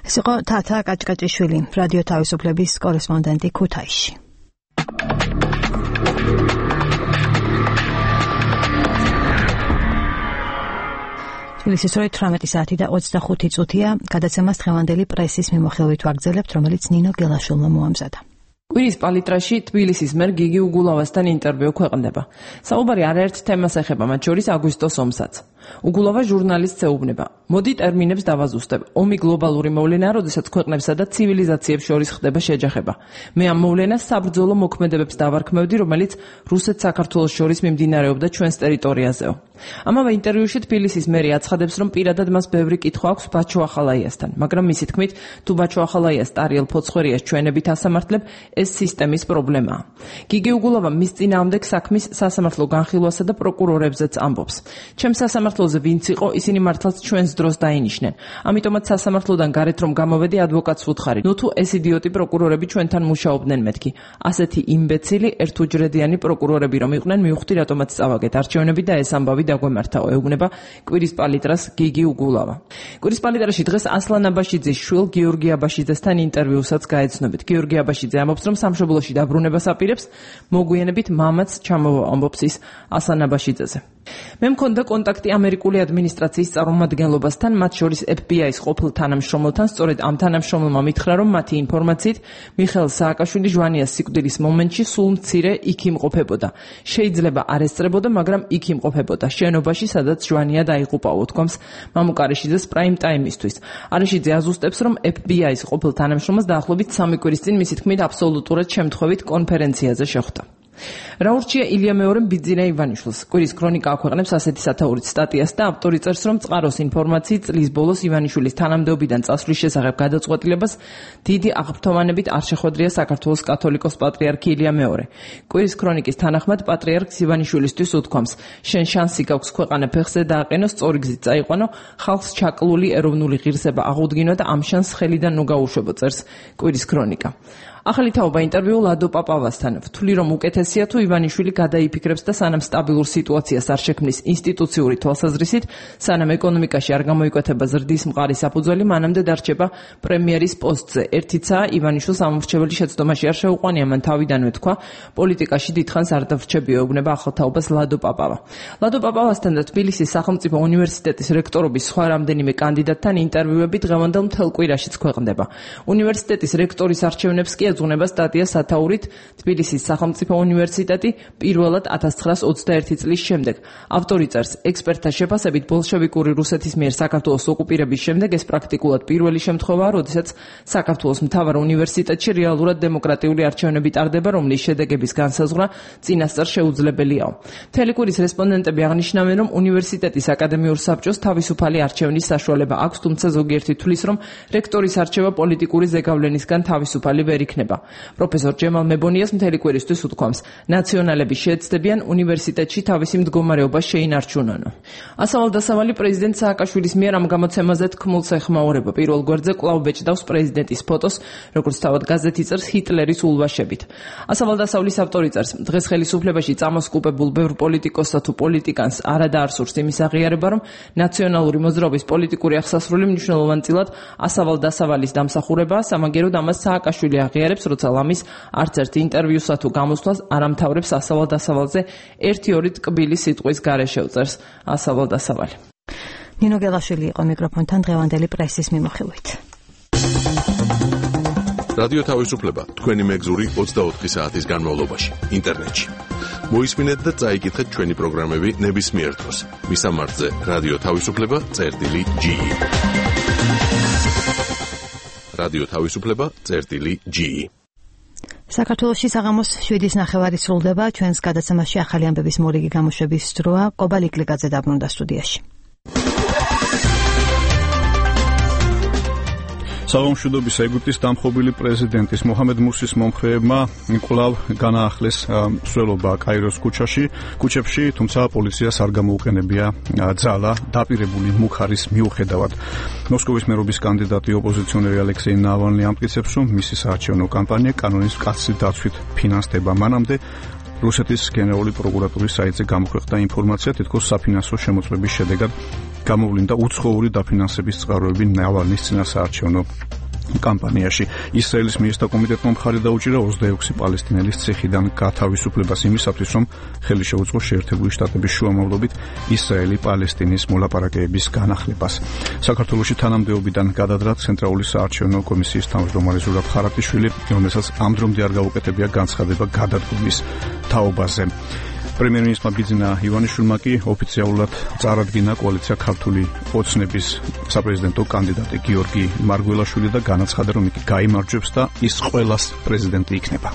ეს იყო თათა კაჭკაჭიშვილი, რადიო თავისუფლების კორესპონდენტი ქუთაისში. თბილისის როი თვრამეტი საათი და ოცდახუთი წუთია, გადაცემას დღევანდელი პრესის მიმოხილვით ვაგრძელებთ, რომელიც ნინო გელაშვილმა მოამზადა. კვირის პალიტრაში თბილისის მერ გიგი უგულავასთან ინტერვიუ ქვეყნდება. საუბარი არაერთ თემას ეხება, მათ შორის აგვისტოს ომსაც. უგულავა ჟურნალისტს ეუბნება: მოდი ტერმინებს დავაზუსტებ. ომი გლობალური მოვლენაა, როდესაც ქვეყნებსა და ცივილიზაციებს შორის ხდება შეჯახება. მე ამ მოვლენას საბრძოლო მოქმედებებს დავარქმევდი, რომელიც რუსეთს საქართველოს შორის მიმდინარეობდა ჩვენს ტერიტორიაზეო. ამავე ინტერვიუში თბილისის მერი აცხადებს, რომ პირადად მას ბევრი კითხვა აქვს ბაჩო ახალაიასთან, მაგრამ მისი თქმით, თუ ბაჩო ახალაიას ტარიელ ფოცხვერიას ჩვენებით ასამართლებ, ეს სისტემის პრობლემაა. გიგი უგულავა მის წინააღმდეგ საქმის სასამართლო განხილვასა და პროკურორებზეც ამბობს. ჩემს სასამართლოზე ვინც იყო, ისინი მართლაც ჩვენს დროს დაინიშნენ. ამიტომაც სასამართლოდან გარეთ რომ გამოვედი, ადვოკატს ვუთხარი: ნუ თუ ეს იდიოტი პროკურორები ჩვენთან მუშაობდნენ მეთქი. ასეთი იმბეცილი ერთუჯრედიანი პროკურორები რომ იყვნენ, მივხვდი რატომაც წავაგეთ არჩევნები და ეს ამბავი დაგვემართაო, ეუბნება კვირის პალიტრას გიგი უგულავა. კვირის პალიტრაში დღეს ასლან აბაშიძის შვილ გიორგი აბაშიძესთან ინტერვიუსაც გაეცნობით. გიორგი აბაშიძე ამბობს, რომ სამშობლოში დაბრუნებას აპირებს, მოგვიანებით მამაც ჩამოვა ამბობს ის ასლან აბაშიძეზე. მე მქონდა კონტაქტი ამერიკული ადმინისტრაციის წარმომადგენლობასთან, მათ შორის ეფ ბი აის ყოფილ თანამშრომელთან, სწორედ ამ თანამშრომელმა მითხრა, რომ მათი ინფორმაციით მიხეილ სააკაშვილი ჟვანიას სიკვდილის მომენტში სულ მცირე იქ იმყოფებოდა. შეიძლება არ ესწრებოდა, მაგრამ იქ იმყოფებოდა, შენობაში, სადაც ჟვანია დაიღუპაო, თქვამს მამუკარეშიძეს პრაიმ ტაიმისთვის. არეშიძე აზუსტებს, რომ ეფ ბი აის ყოფილ თანამშრომელს დაახლოებით სამი კვირის წინ მისი თქმით აბსოლუტურად შემთხვევით კონფერენციაზე შეხვდა. რა ურჩია ილია მეორემ ბიძინა ივანიშვილს? კვირის ქრონიკა აქვეყნებს ასეთი სათაურით სტატიას და ავტორი წერს, რომ წყაროს ინფორმაციით წლის ბოლოს ივანიშვილის თანამდებობიდან წასვლის შესახებ გადაწყვეტილებას დიდი აღფრთოვანებით არ შეხვედრია საქართველოს კათოლიკოს პატრიარქი ილია მეორე. კვირის ქრონიკის თანახმად პატრიარქს ივანიშვილისთვის უთქვამს: შენ შანსი გაქვს ქვეყანა ფეხზე დააყენო, სწორი გზით წაიყვანო, ხალხს ჩაკლული ეროვნული ღირსება აღუდგინო და ამ შანსს ხელიდან ნუ გაუშვებო, წერს კვირის ქრონიკა. ახალი თაობა ინტერვიუ ლადო პაპავასთან. ვთვლი, რომ უკეთესია თუ ივანიშვილი გადაიფიქრებს და სანამ სტაბილურ სიტუაციას არ შექმნის ინსტიტუციური თვალსაზრისით, სანამ ეკონომიკაში არ გამოიკვეთება ზრდის მყარი საფუძველი, მანამდე დარჩება პრემიერის პოსტზე. ერთიცაა ივანიშვილს ამორჩეველი შეცდომაში არ შეუყვანია, მან თავიდანვე თქვა, პოლიტიკაში დიდხანს არ დავრჩებიო, ეუბნება ახალ თაობას ლადო პაპავა. ლადო პაპავასთან და თბილისის სახელმწიფო უნივერსიტეტის რექტორობის სხვა რამდენიმე კანდიდატთან ინტერვიუები დღევანდელ მთელ კვირაშიც ქვეყნდება. უნივერსიტეტის რექტორის არჩევნებს კი ეძღვნება სტატია სათაურით თბილისის სახელმწიფო უნივერსიტეტი პირველად ათას ცხრაას ოცდაერთი წლის შემდეგ. ავტორი წერს, ექსპერტთა შეფასებით ბოლშევიკური რუსეთის მიერ საქართველოს ოკუპირების შემდეგ ეს პრაქტიკულად პირველი შემთხვევაა, როდესაც საქართველოს მთავარ უნივერსიტეტში რეალურად დემოკრატიული არჩევნები ტარდება, რომლის შედეგების განსაზღვრა წინასწარ შეუძლებელიაო. მთელი კვირის რესპონდენტები აღნიშნავენ, რომ უნივერსიტეტის აკადემიურ საბჭოს თავისუფალი არჩევნის საშუალება აქვს, თუმცა ზოგიერთი თვლის, რომ რექტორის არჩევა პოლიტიკური ზეგავლენისგან თავისუფალი ვერ იქნება. პროფესორ ჯემალ მებონიას მთელი კვირისთვის უთქვამს, ნაციონალები შეეცდებიან უნივერსიტეტში თავისი მდგომარეობა შეინარჩუნონო. ასავალ-დასავალი პრეზიდენტ სააკაშვილის მიერ ამ გამოცემაზე თქმულს ეხმაურება. პირველ გვერდზე კვლავ ბეჭდავს პრეზიდენტის ფოტოს, როგორც თავად გაზეთი წერს, ჰიტლერის ულვაშებით. ასავალ-დასავლის ავტორი წერს, დღეს ხელისუფლებაში წამოსკუპებულ ბევრ პოლიტიკოსსა თუ პოლიტიკანს არა დაარსურს იმის აღიარება, რომ ნაციონალური მოძრაობის პოლიტიკური აღსასრული მნიშვნელოვანწილად ასავალ-დასავალის დამსახურებაა, სამაგეროდ ამას სააკაშვილი აღიარებს, როცა ლამის არც ერთ ინტერვიუსა თუ გამოსვლას არ ამთავრებს ასავალ-დასავალზე ერთი-ორი ტკბილი სიტყვის გარეშე, წერს ასავალ-დასავალი. ნინო გელაშვილი იყო მიკროფონთან დღევანდელი პრესის მიმოხილვით. რადიო თავისუფლება თქვენი მეგზური ოცდაოთხი საათის განმავლობაში ინტერნეტში. მოისმინეთ და წაიკითხეთ ჩვენი პროგრამები ნებისმიერ დროს. მისამართზე რადიო თავისუფლება წერტილი ჯი. რადიო თავისუფლება წერტილი ჯი. საქართველოში საღამოს შვიდის ნახევარი სრულდება, ჩვენს გადაცემაში ახალი ამბების მორიგი გამოშვების დროა. ყობალ იკლიკაძე დაბრუნდა სტუდიაში. საღამოშუდობის ეგვიპტის დამხობილი პრეზიდენტის მოჰამედ მურსის მომხრეებმა კვლავ განაახლეს სვლელობა კაიროს ქუჩაში, ქუჩებში, თუმცა პოლიციას არ გამოუყენებია ძალა დაპირებული მუხარის მიუხედავად. მოსკოვის მერობის კანდიდატი ოპოზიციონერი ალექსეი ნავალნი ამტკიცებს, რომ მისი საარჩევნო კამპანია კანონის მკაცრი დაცვით ფინანსდება. მანამდე რუსეთის გენერალური პროკურატურის საიტზე გამოქვეყნდა ინფორმაცია, თითქოს საფინანსო შემოწმების შედეგად გამოვლინდა უცხოური დაფინანსების წყაროები ნავალნის წინასაარჩევნო კამპანიაში. ისრაელის მინისტრთა კომიტეტმა მხარი დაუჭირა ოცდაექვსი პალესტინელის ციხიდან გათავისუფლებას იმისათვის, რომ ხელი შეუწყოს შეერთებული შტატების შუამავლობით ისრაელი პალესტინის მოლაპარაკებების განახლებას. საქართველოში თანამდებობიდან გადადრა ცენტრალური საარჩევნო კომისიის თავმჯდომარე ზურაბ ხარატიშვილი, რომელსაც ამ დრომდე არ გაუკეთებია განცხადება გადადგომის თაობაზე. პრემიერ-მინისტრმა ბიძინა ივანიშვილმა კი ოფიციალურად წარადგინა კოალიცია ქართული ოცნების საპრეზიდენტო კანდიდატი გიორგი მარგველაშვილი და განაცხადა, რომ იგი გაიმარჯვებს და ის ყველას პრეზიდენტი იქნება.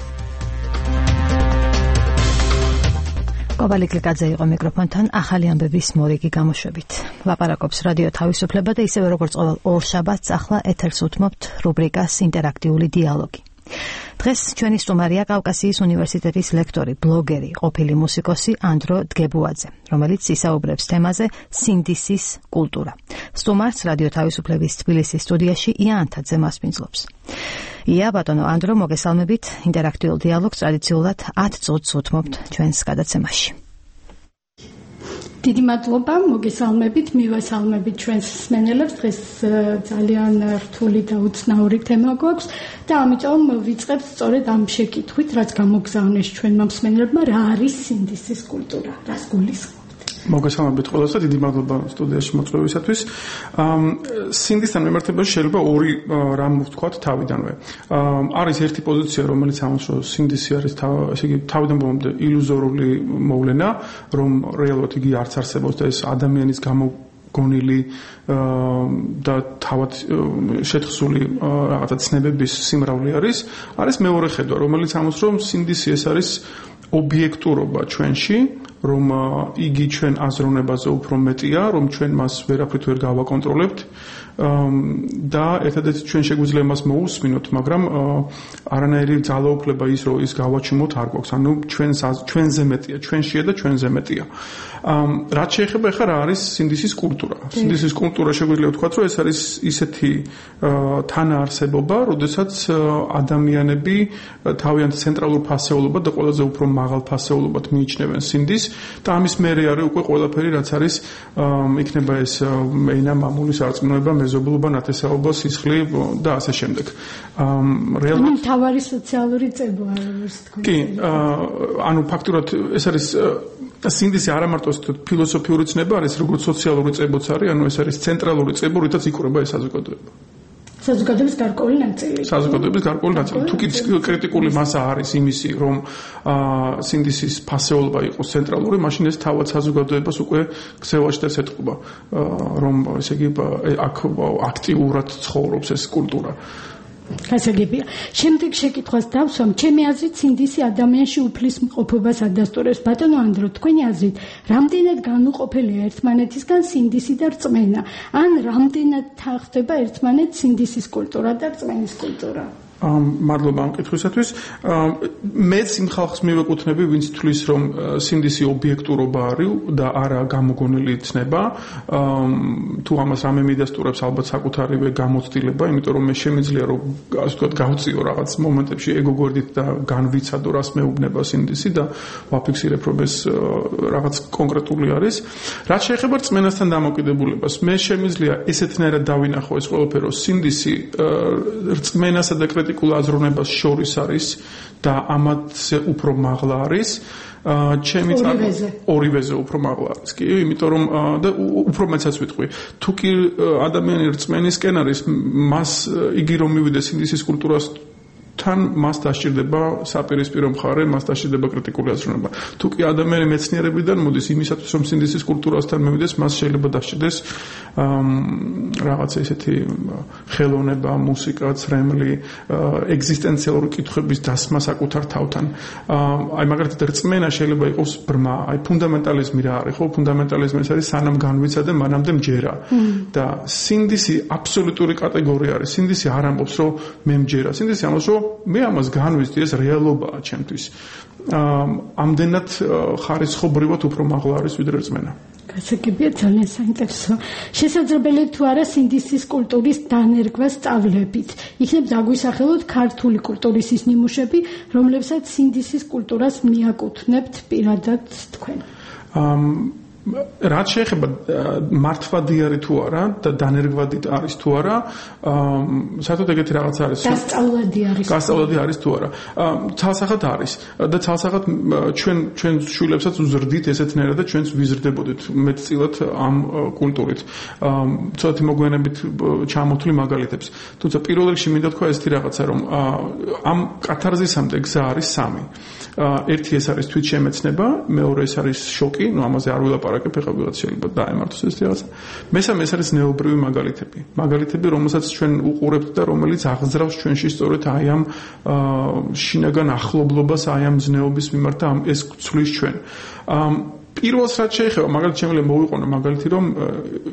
კობალი კლიკაძე იყო მიკროფონთან ახალი ამბების მორიგი გამოშვებით. ლაპარაკობს რადიო თავისუფლება და ისევე როგორც ყოველ ორ შაბათს ახლა ეთერს უთმობთ რუბრიკას ინტერაქტიული დიალოგი. დღეს ჩვენი სტუმარია კავკასიის უნივერსიტეტის ლექტორი, ბლოგერი, ყოფილი მუსიკოსი ანდრო დგებუაძე, რომელიც ისაუბრებს თემაზე სინდისის კულტურა. სტუმარს რადიო თავისუფლების თბილისის სტუდიაში ია ანთაძე მასპინძლობს. ია, ბატონო ანდრო, მოგესალმებით. ინტერაქტიულ დიალოგს ტრადიციულად ათ წუთს უთმობთ ჩვენს გადაცემაში. დიდი მადლობა, მოგესალმებით, მივესალმებით ჩვენს მსმენელებს. დღეს ძალიან რთული და უცნაური თემა გვაქვს და ამიტომ ვიწყებთ სწორედ ამ შეკითხვით, რაც გამოგზავნეს ჩვენმა მსმენელებმა, რა არის სინდისის კულტურა, რას გულისხმობთ? მოგესალმებით ყველას და დიდი მადლობა სტუდიაში მოწვევისათვის. სინდისთან მიმართებაში შეიძლება ორი რამ ვთქვათ თავიდანვე. არის ერთი პოზიცია, რომელიც ამბობს, რომ სინდისი არის ესე იგი თავიდან ბოლომდე ილუზორული მოვლენა, რომ რეალურად იგი არც არსებობს და ეს ადამიანის გამო გონილი და თავად შეთხსული რაღაცა ცნებების სიმრავლე არის. არის მეორე ხედვა, რომელიც ამბობს, რომ სინდისი ეს არის ობიექტურობა ჩვენში, რომ იგი ჩვენ აზროვნებაზე უფრო მეტია, რომ ჩვენ მას ვერაფრით ვერ გავაკონტროლებთ და ერთადერთი ჩვენ შეგვიძლია მას მოусმინოთ, მაგრამ არანაირი ძალაუფლება ის რომ ის გავაჩუმოთ არ გვაქვს. ანუ ჩვენს ჩვენზე მეტია, ჩვენშია და ჩვენზე მეტია. რაც შეეხება ახლა რა არის სინდისის კულტურა? სინდისის კულტურა შეგვიძლია ვთქვათ, რომ ეს არის ისეთი თანაარსებობა, როდესაც ადამიანები თავიანთ ცენტრალურ ფასეულობად და ყველაზე უფრო მაღალ ფასეულობად მიიჩნევენ სინდისს და ამის მერე არის უკვე ყველაფერი, რაც არის იქნება ეს ენა, მამული, სარწმუნოება, მეზობლობა, ნათესაობა, სისხლი და ასე შემდეგ. რეალურად თავარი სოციალური წებო არის თქვენ. კი, ანუ ფაქტურად ეს არის სინდისი არა მარტო ფილოსოფიური ცნება არის, როგორც სოციალური წებოც არის, ანუ ეს არის ცენტრალური წებო, რითაც იკვრება ეს საზოგადოება. საზოგადოების გარკვეული ნაწილი. საზოგადოების გარკვეული ნაწილი. თუ კი კრიტიკული მასა არის იმისი, რომ სინდისის ფასეულობა იყოს ცენტრალური, მაშინ ეს თავად საზოგადოებას უკვე ქსევაშტერს ეთყობა, რომ ესე იგი აქ აქტიურად ცხოვრობს ეს კულტურა. გასაგებია. შემდეგ შეკითხვას დავსვამ, ჩემი აზრით სინდისი ადამიანში უფლის მყოფობას ადასტურებს. ბატონო ანდრო, თქვენი აზრით, რამდენად განუყოფელია ერთმანეთისგან სინდისი და რწმენა? ან რამდენად ხდება ერთმანეთს სინდისის კულტურა და რწმენის კულტურა? მადლობა ამ კითხვისათვის. მეც იმ ხალხს მივეკუთვნები, ვინც თვლის, რომ სინდისი ობიექტურობა არის და არა გამოგონილი ცნება. თუ ამას რამე მიდასტურებს, ალბათ საკუთარივე გამოცდილება, იმიტომ რომ მე შემიძლია რომ ასე ვთქვათ, გავწიო რაღაც მომენტებში ეგოგვერდით და განვიცადო, რას მეუბნება სინდისი და ვაფიქსირებ, რომ ეს რაღაც კონკრეტული არის. რაც შეეხება რწმენასთან დამოკიდებულებას, მე შემიძლია ესეთნაირად დავინახო ეს ყველაფერი, რომ სინდისი რწმენასა და კრიტიკულ აზროვნებას შორის არის და ამათზე უფრო მაღლა არის. ჩემი ორივეზე ორივეზე უფრო მაღლა არის. კი, იმიტომ რომ და უფრო მეცაც ვიტყვი. თუ კი ადამიანი რწმენისკენ არის, მას იგი რომ მივიდეს სინდისის კულტურას თან მას დასჭირდება საპირისპირო მხარე, მას დასჭირდება კრიტიკული აზროვნება. თუ კი ადამიანი მეცნიერებიდან მოდის იმისათვის, რომ სინდისის კულტურასთან მივიდეს, მას შეიძლება დასჭირდეს რაღაცა ისეთი ხელოვნება, მუსიკა, ცრემლი, ეგზისტენციალური კითხვების დასმა საკუთარ თავთან. აი მაგალითად რწმენა შეიძლება იყოს ბრმა, აი ფუნდამენტალიზმი რა არის, ხო? ფუნდამენტალიზმი ეს არის სანამ განვიცადე, მანამდე მჯერა. და სინდისი აბსოლუტური კატეგორია არის. სინდისი არ ამბობს, რომ მე მჯერა. სინდისი ამბობს, რომ მე ამას განვიცდი, ეს რეალობაა ჩემთვის. ამდენად ხარისხობრივად უფრო მაღლა არის ვიდრე რწმენა. გასაგებია, ძალიან საინტერესო. შესაძლებელია თუ არა სინდისის კულტურის დანერგვა სწავლებით. იქნებ დაგვისახელოთ ქართული კულტურის ის ნიმუშები, რომლებსაც სინდისის კულტურას მიაკუთვნებთ პირადად თქვენ. რაც შეეხება მართვადი თუ არა და დანერგვადი არის თუ არა, საერთოდ ეგეთი რაღაც არის. დასწავლადი არის. დასწავლადი არის თუ არა. ცალსახად არის და ცალსახად ჩვენ ჩვენ შვილებსაც უზრდით ესეთნაირად და ჩვენც ვიზრდებოდით მეტწილად ამ კულტურით. ცოტათი მოგვიანებით ჩამოთვლი მაგალითებს. თუმცა პირველ რიგში მინდა თქვა ესეთი რაღაცა, რომ ამ კათარზისამდე გზა არის სამი. ერთი ეს არის თვითშემეცნება, მეორე ეს არის შოკი, ну ამაზე არ ვილაპარაკებ, ეხლა ვიღაც შეიძლება დაემართოს ეს რაღაცა. მესამე ეს არის ნეობრივი მაგალითები. მაგალითები, რომელსაც ჩვენ უყურებთ და რომელიც აღზრავს ჩვენში სწორედ აი ამ შინაგან ახლობლობას, აი ამ ზნეობის მიმართ და ეს ცვლის ჩვენ. პირველს რაც შეეხება, მაგალითად შემიძლია მოვიყვანო მაგალითი, რომ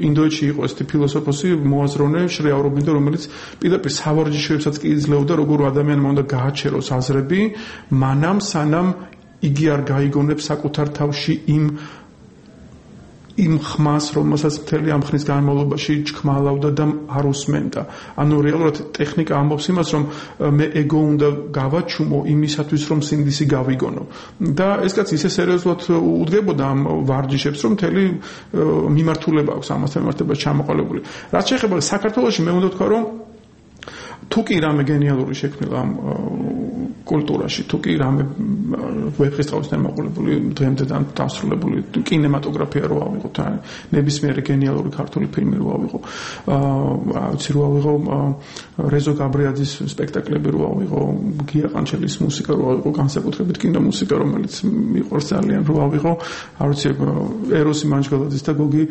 ინდოეთში იყო ესეთი ფილოსოფოსი მოაზროვნე შრია აურობინდო, რომელიც პირდაპირ სავარჯიშოებსაც კი იძლეოდა, როგორ ადამიანმა უნდა გააჩეროს აზრები, მანამ სანამ იგი არ გაიგონებს საკუთარ თავში იმ იმ ხმას, რომელსაც მთელი ამ ხნის განმავლობაში ჩქმალავდა და არ უსმენდა. ანუ რეალურად ტექნიკა ამბობს იმას, რომ მე ეგო უნდა გავაჩუმო იმისათვის, რომ სინდისი გავიგონო. და ეს კაცი ისე სერიოზულად უდგებოდა ამ ვარჯიშებს, რომ მთელი მიმართულება აქვს ამასთან მიმართება ჩამოყალიბებული. რაც შეეხება საქართველოში, მე უნდა ვთქვა, რომ თუ კი რამე გენიალური შექმნილა ამ კულტურაში, თუ კი რამე ვეფხისტყაოსთან მოყოლებული, დღემდე დასრულებული კინემატოგრაფია რო ავიღოთ, ან ნებისმიერი გენიალური ქართული ფილმი რო ავიღო, აა ვიცი რო ავიღო რეზო გაბრიაძის სპექტაკლები რო ავიღო, გია ყანჩელის მუსიკა რო ავიღო, განსაკუთრებით კინომუსიკა, რომელიც მიყვარს ძალიან რო ავიღო, არ ვიცი ეროსი მანჯგალაძის და გოგი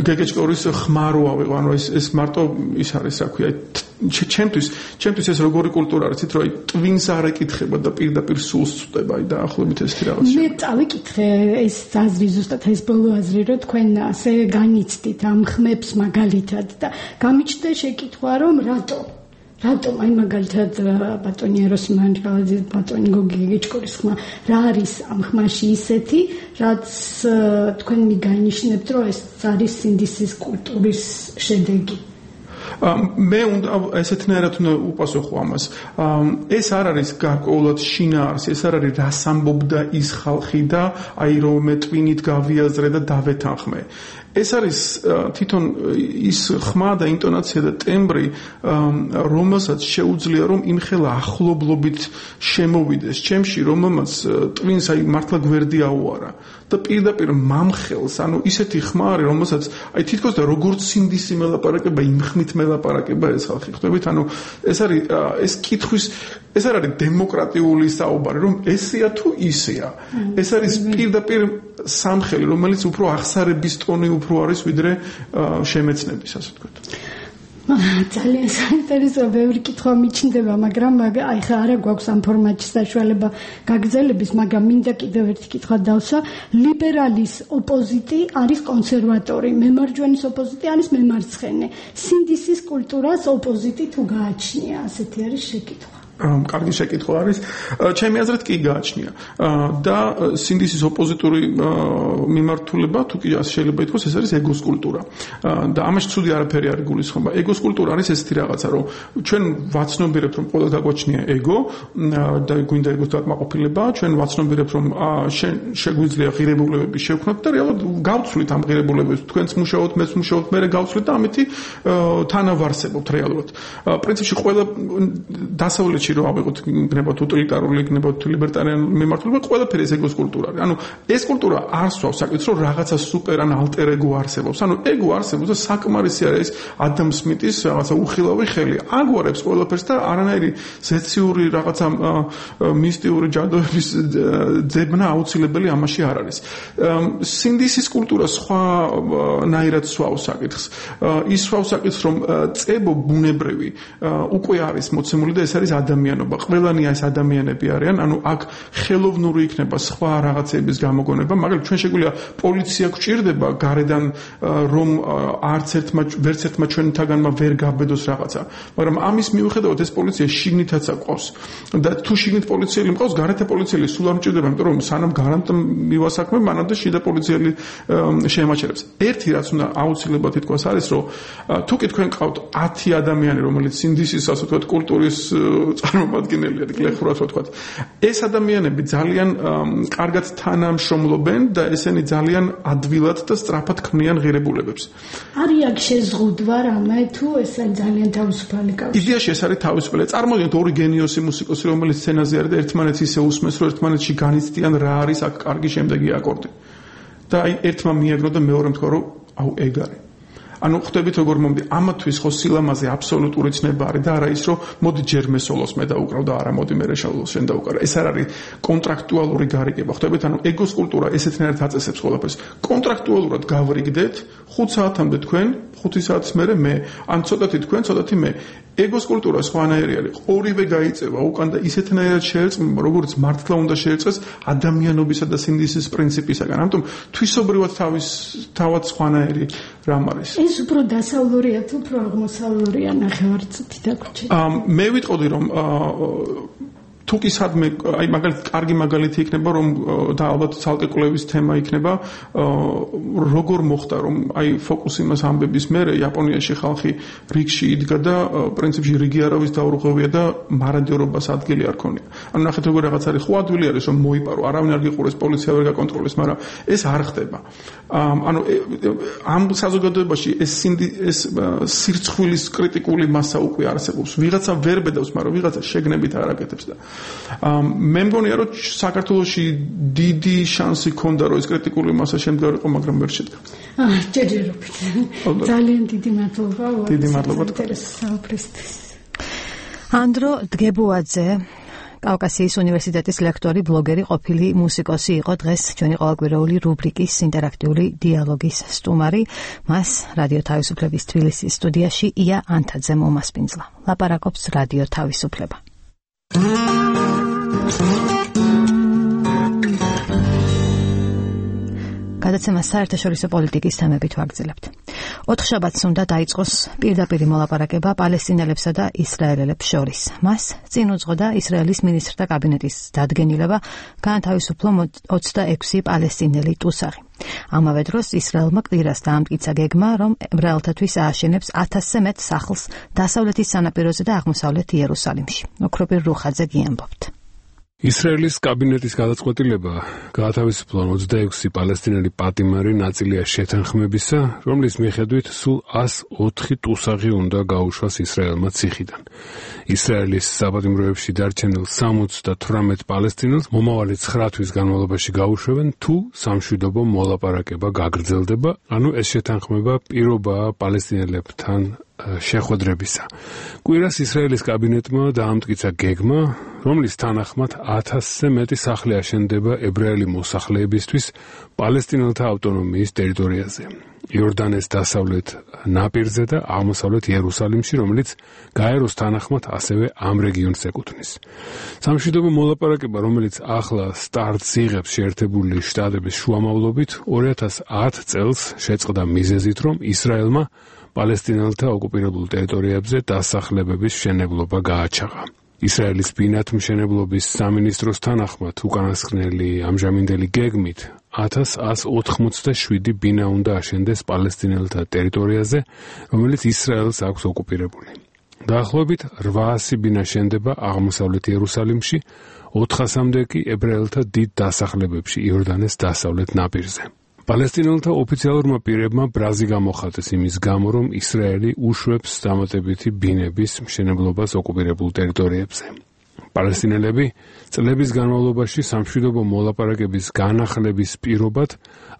გეგეჭკორის ხმა რო ავიღო, ანუ ეს ეს მარტო ის არის, რა ქვია, ჩემთვის ჩემთვის ეს როგორი კულტურა არის, რომ აი ტვინს არ ეკითხება და პირდაპირ სულს წვდება, აი დაახლოებით ეს რაღაც. მე წავიკითხე ეს აზრი ზუსტად ეს ბოლო აზრი, რომ თქვენ ასე განიცდით ამ ხმებს მაგალითად და გამიჩნდა შეკითხვა, რომ რატო რატომ აი მაგალითად ბატონი ეროსი მანჯგალაძის, ბატონი გოგი გეგეჭკორის ხმა რა არის ამ ხმაში ისეთი, რაც თქვენ მიგანიშნებთ, რომ ეს არის სინდისის კულტურის შედეგი. მე უნდა ესეთნაირად უნდა უპასუხო ამას. ეს არ არის გარკვეულად შინაარსი, ეს არ არის რას ამბობდა ის ხალხი და აი რომ მე ტვინით გავიაზრე და დავეთანხმე. ეს არის თვითონ ის ხმა და ინტონაცია და ტემბრი, რომელსაც შეუძლია რომ იმხელა ახლობლობით შემოვიდეს ჩემში, რომელმაც ტვინს აი მართლა გვერდი აუარა და პირდაპირ მამხელს, ანუ ისეთი ხმა არის, რომელსაც აი თითქოს და როგორც სინდისი მელაპარაკება, იმ ხმით მელაპარაკება ეს ხალხი. ხვდებით, ანუ ეს არის ეს კითხვის ეს არ არის დემოკრატიული საუბარი, რომ ესეა თუ ისეა. ეს არის პირდაპირ სამხელი, რომელიც უფრო აღსარების ტონი უფრო არის ვიდრე შემეცნების, ასე ვთქვათ. ძალიან საინტერესო ბევრი კითხვა მიჩნდება, მაგრამ აი ხა არა გვაქვს ამ ფორმატში საშუალება გაგრძელების, მაგრამ მინდა კიდევ ერთი კითხვა დავსვა. ლიბერალის ოპოზიტი არის კონსერვატორი, მემარჯვენის ოპოზიტი არის მემარცხენე. სინდისის კულტურას ოპოზიტი თუ გააჩნია, ასეთი არის შეკითხვა. კარგი შეკითხვა არის. ჩემი აზრით კი გააჩნია. და სინდისის ოპოზიტური მიმართულება, თუ კი შეიძლება ითქვას, ეს არის ეგოს კულტურა. და ამაში ცუდი არაფერი არ გულისხმობა. ეგოს კულტურა არის ესეთი რაღაცა, რომ ჩვენ ვაცნობიერებთ, რომ ყველა გაგვაჩნია ეგო და გვინდა ეგოს დაკმაყოფილება, ჩვენ ვაცნობიერებთ, რომ შეგვიძლია ღირებულებები შევქმნათ და რეალურად გავცვლით ამ ღირებულებებს. თქვენც მუშაობთ, მეც მუშაობთ, მე გავცვლით და ამით თანავარსებობთ რეალურად. პრინციპში ყველა დასავლეთ რუსეთში რო ავიღოთ იქნება ტოტალიტარული იქნება ლიბერტარიანული მიმართულება ყველაფერი ეს ეგოს კულტურა არის. ანუ ეს კულტურა არ სვავს საკითხს რომ რაღაცა სუპერ ან ალტერ ეგო არსებობს. ანუ ეგო არსებობს და საკმარისი არის ადამ სმიტის რაღაცა უხილავი ხელი. აგვარებს ყველაფერს და არანაირი ზეციური რაღაცა მისტიური ჯადოების ძებნა აუცილებელი ამაში არ არის. სინდისის კულტურა სხვანაირად სვავს საკითხს. ის სვავს საკითხს რომ წებო ბუნებრივი უკვე არის მოცემული და ეს არის ადამიანობა. ყველანი ეს ადამიანები არიან, ანუ აქ ხელოვნური იქნება სხვა რაღაცების გამოგონება, მაგრამ ჩვენ შეგვიძლია პოლიცია გვჭირდება გარედან რომ არც ერთმა ვერც ერთმა ჩვენთაგანმა ვერ გაბედოს რაღაცა. მაგრამ ამის მიუხედავად ეს პოლიცია შიგნითაც აყვავს. და თუ შიგნით პოლიციელი მყავს, გარეთ პოლიციელი სულ არ მჭირდება, იმიტომ რომ სანამ გარანტ მივასაქმე, მანამდე შიდა პოლიციელი შეემაჩერებს. ერთი რაც უნდა აუცილებლად ითქვას არის, რომ თუ კი თქვენ ყავთ ათი ადამიანი, რომელიც სინდისის ასე ვთქვათ კულტურის წარმომადგენელია, გლეხურად ვთქვათ, ეს ადამიანები ძალიან კარგად თანამშრომლობენ და ესენი ძალიან ადვილად და სწრაფად ქმნიან ღირებულებებს. არის აქ შეზღუდვა რამე თუ ეს ძალიან თავისუფალი კავშირი? იდეაში ეს არის თავისუფალი. წარმოგიდგენთ ორი გენიოსი მუსიკოსი, რომელიც სცენაზე არის და ერთმანეთს ისე უსმენს, რომ ერთმანეთში განიცდიან რა არის აქ კარგი შემდეგი აკორდი. და აი ერთმა მიაგნო და მეორემ თქვა რომ აუ ეგ არის. ანუ ხვდებით როგორ მომდი ამათვის ხო სილამაზე აბსოლუტური ცნება არის და არა ის რომ მოდი ჯერ მე სოლოს მე დაუკრავ და არა მოდი მე რეშალოს შენ დაუკრა. ეს არ არის კონტრაქტუალური გარიგება. ხვდებით ანუ ეგოს კულტურა ესეთნაირად აწესებს ყველაფერს. კონტრაქტუალურად გავრიგდეთ ხუთ საათამდე თქვენ, ხუთი საათის მერე მე, ან ცოტათი თქვენ, ცოტათი მე. ეგოს კულტურა სხვანაირი არის. ორივე გაიწევა უკან და ისეთნაირად შეერწყმება, როგორც მართლა უნდა შეერწყეს ადამიანობისა და სინდისის პრინციპისაგან. ამიტომ თვისობრივად თავის თავად სხვანაირი რამ არის. ეს უფრო დასავლურია თუ უფრო აღმოსავლურია ნახევარწუთი დაგვრჩეთ. მე ვიტყოდი რომ თუ კი სადმე აი მაგალითად კარგი მაგალითი იქნება რომ და ალბათ ცალკე კვლევის თემა იქნება როგორ მოხდა რომ აი ფოკუსიმას ამბების მერე იაპონიაში ხალხი რიგში იდგა და პრინციპში რიგი არავის დაურღვევია და მარადიორობას ადგილი არ ქონია. ანუ ნახეთ როგორ რაღაც არის ხო ადვილი არის რომ მოიპარო არავინ არ გიყურეს პოლიცია ვერ გაკონტროლებს, მაგრამ ეს არ ხდება. ანუ ამ საზოგადოებაში ეს ეს სირცხვილის კრიტიკული მასა უკვე არსებობს. ვიღაცა ვერ ბედავს, მაგრამ ვიღაცა შეგნებით არ აკეთებს და მე მგონია რომ საქართველოში დიდი შანსი ქონდა რომ ეს კრიტიკული მასა შემდგარიყო, მაგრამ ვერ შედგა. აა ჯერჯერობით. ძალიან დიდი მადლობა. დიდი მადლობა. საუბრისთვის. ანდრო დგებუაძე კავკასიის უნივერსიტეტის ლექტორი, ბლოგერი, ყოფილი მუსიკოსი იყო დღეს ჩვენი ყოველკვირეული რუბრიკის ინტერაქტიული დიალოგის სტუმარი. მას რადიო თავისუფლების თბილისის სტუდიაში ია ანთაძე მომასპინძლა. ლაპარაკობს რადიო თავისუფლება. გადაცემა საერთაშორისო პოლიტიკის თემებით ვაგრძელებთ. ოთხშაბათს უნდა დაიწყოს პირდაპირი მოლაპარაკება პალესტინელებსა და ისრაელელებს შორის. მას წინ უძღოდა ისრაელის მინისტრთა კაბინეტის დადგენილება გაანთავისუფლო ოცდაექვსი პალესტინელი ტუსაღი. ამავე დროს ისრაელმა კვირას დაამტკიცა გეგმა, რომ ებრაელთათვის ააშენებს ათასზე მეტ სახლს დასავლეთის სანაპიროზე და აღმოსავლეთ იერუსალიმში. ოქროპირ რუხაძე გიამბობთ. ისრაელის კაბინეტის გადაწყვეტილება გაათავისუფლონ ოცდაექვსი პალესტინელი პატიმარი ნაწილია შეთანხმებისა, რომლის მიხედვით სულ ას ოთხი ტუსაღი უნდა გაუშვას ისრაელმა ციხიდან. ისრაელის საპატიმროებში დარჩენილ სამოცდათვრამეტ პალესტინელს მომავალი ცხრა თვის განმავლობაში გაუშვებენ, თუ სამშვიდობო მოლაპარაკება გაგრძელდება, ანუ ეს შეთანხმება პირობაა პალესტინელებთან შეხვედრებისა. კვირას ისრაელის კაბინეტმა დაამტკიცა გეგმა, რომლის თანახმად ათასზე მეტი სახლი აშენდება ებრაელი მოსახლეებისთვის პალესტინელთა ავტონომიის ტერიტორიაზე, იორდანეს დასავლეთ ნაპირზე და აღმოსავლეთ იერუსალიმში, რომელიც გაეროს თანახმად ასევე ამ რეგიონს ეკუთვნის. სამშვიდობო მოლაპარაკება, რომელიც ახლა სტარტს იღებს შეერთებული შტატების შუამავლობით, ორი ათას ათი წელს შეწყდა მიზეზით, რომ ისრაელმა პალესტინელთა ოკუპირებულ ტერიტორიებზე დასახლებების მშენებლობა გააჩაღა. ისრაელის ბინათმშენებლობის სამინისტროს თანახმად უკანასკნელი ამჟამინდელი გეგმით ათას ას ოთხმოცდაშვიდი ბინა უნდა აშენდეს პალესტინელთა ტერიტორიაზე, რომელიც ისრაელს აქვს ოკუპირებული. დაახლოებით რვაასი ბინა შენდება აღმოსავლეთ იერუსალიმში, ოთხასამდე კი ებრაელთა დიდ დასახლებებში იორდანეს დასავლეთ ნაპირზე. პალესტინელთა ოფიციალურმა პირებმა ბრაზი გამოხატეს იმის გამო, რომ ისრაელი უშვებს დამატებითი ბინების მშენებლობას ოკუპირებულ ტერიტორიებზე. პალესტინელები წლების განმავლობაში სამშვიდობო მოლაპარაკების განახლების პირობად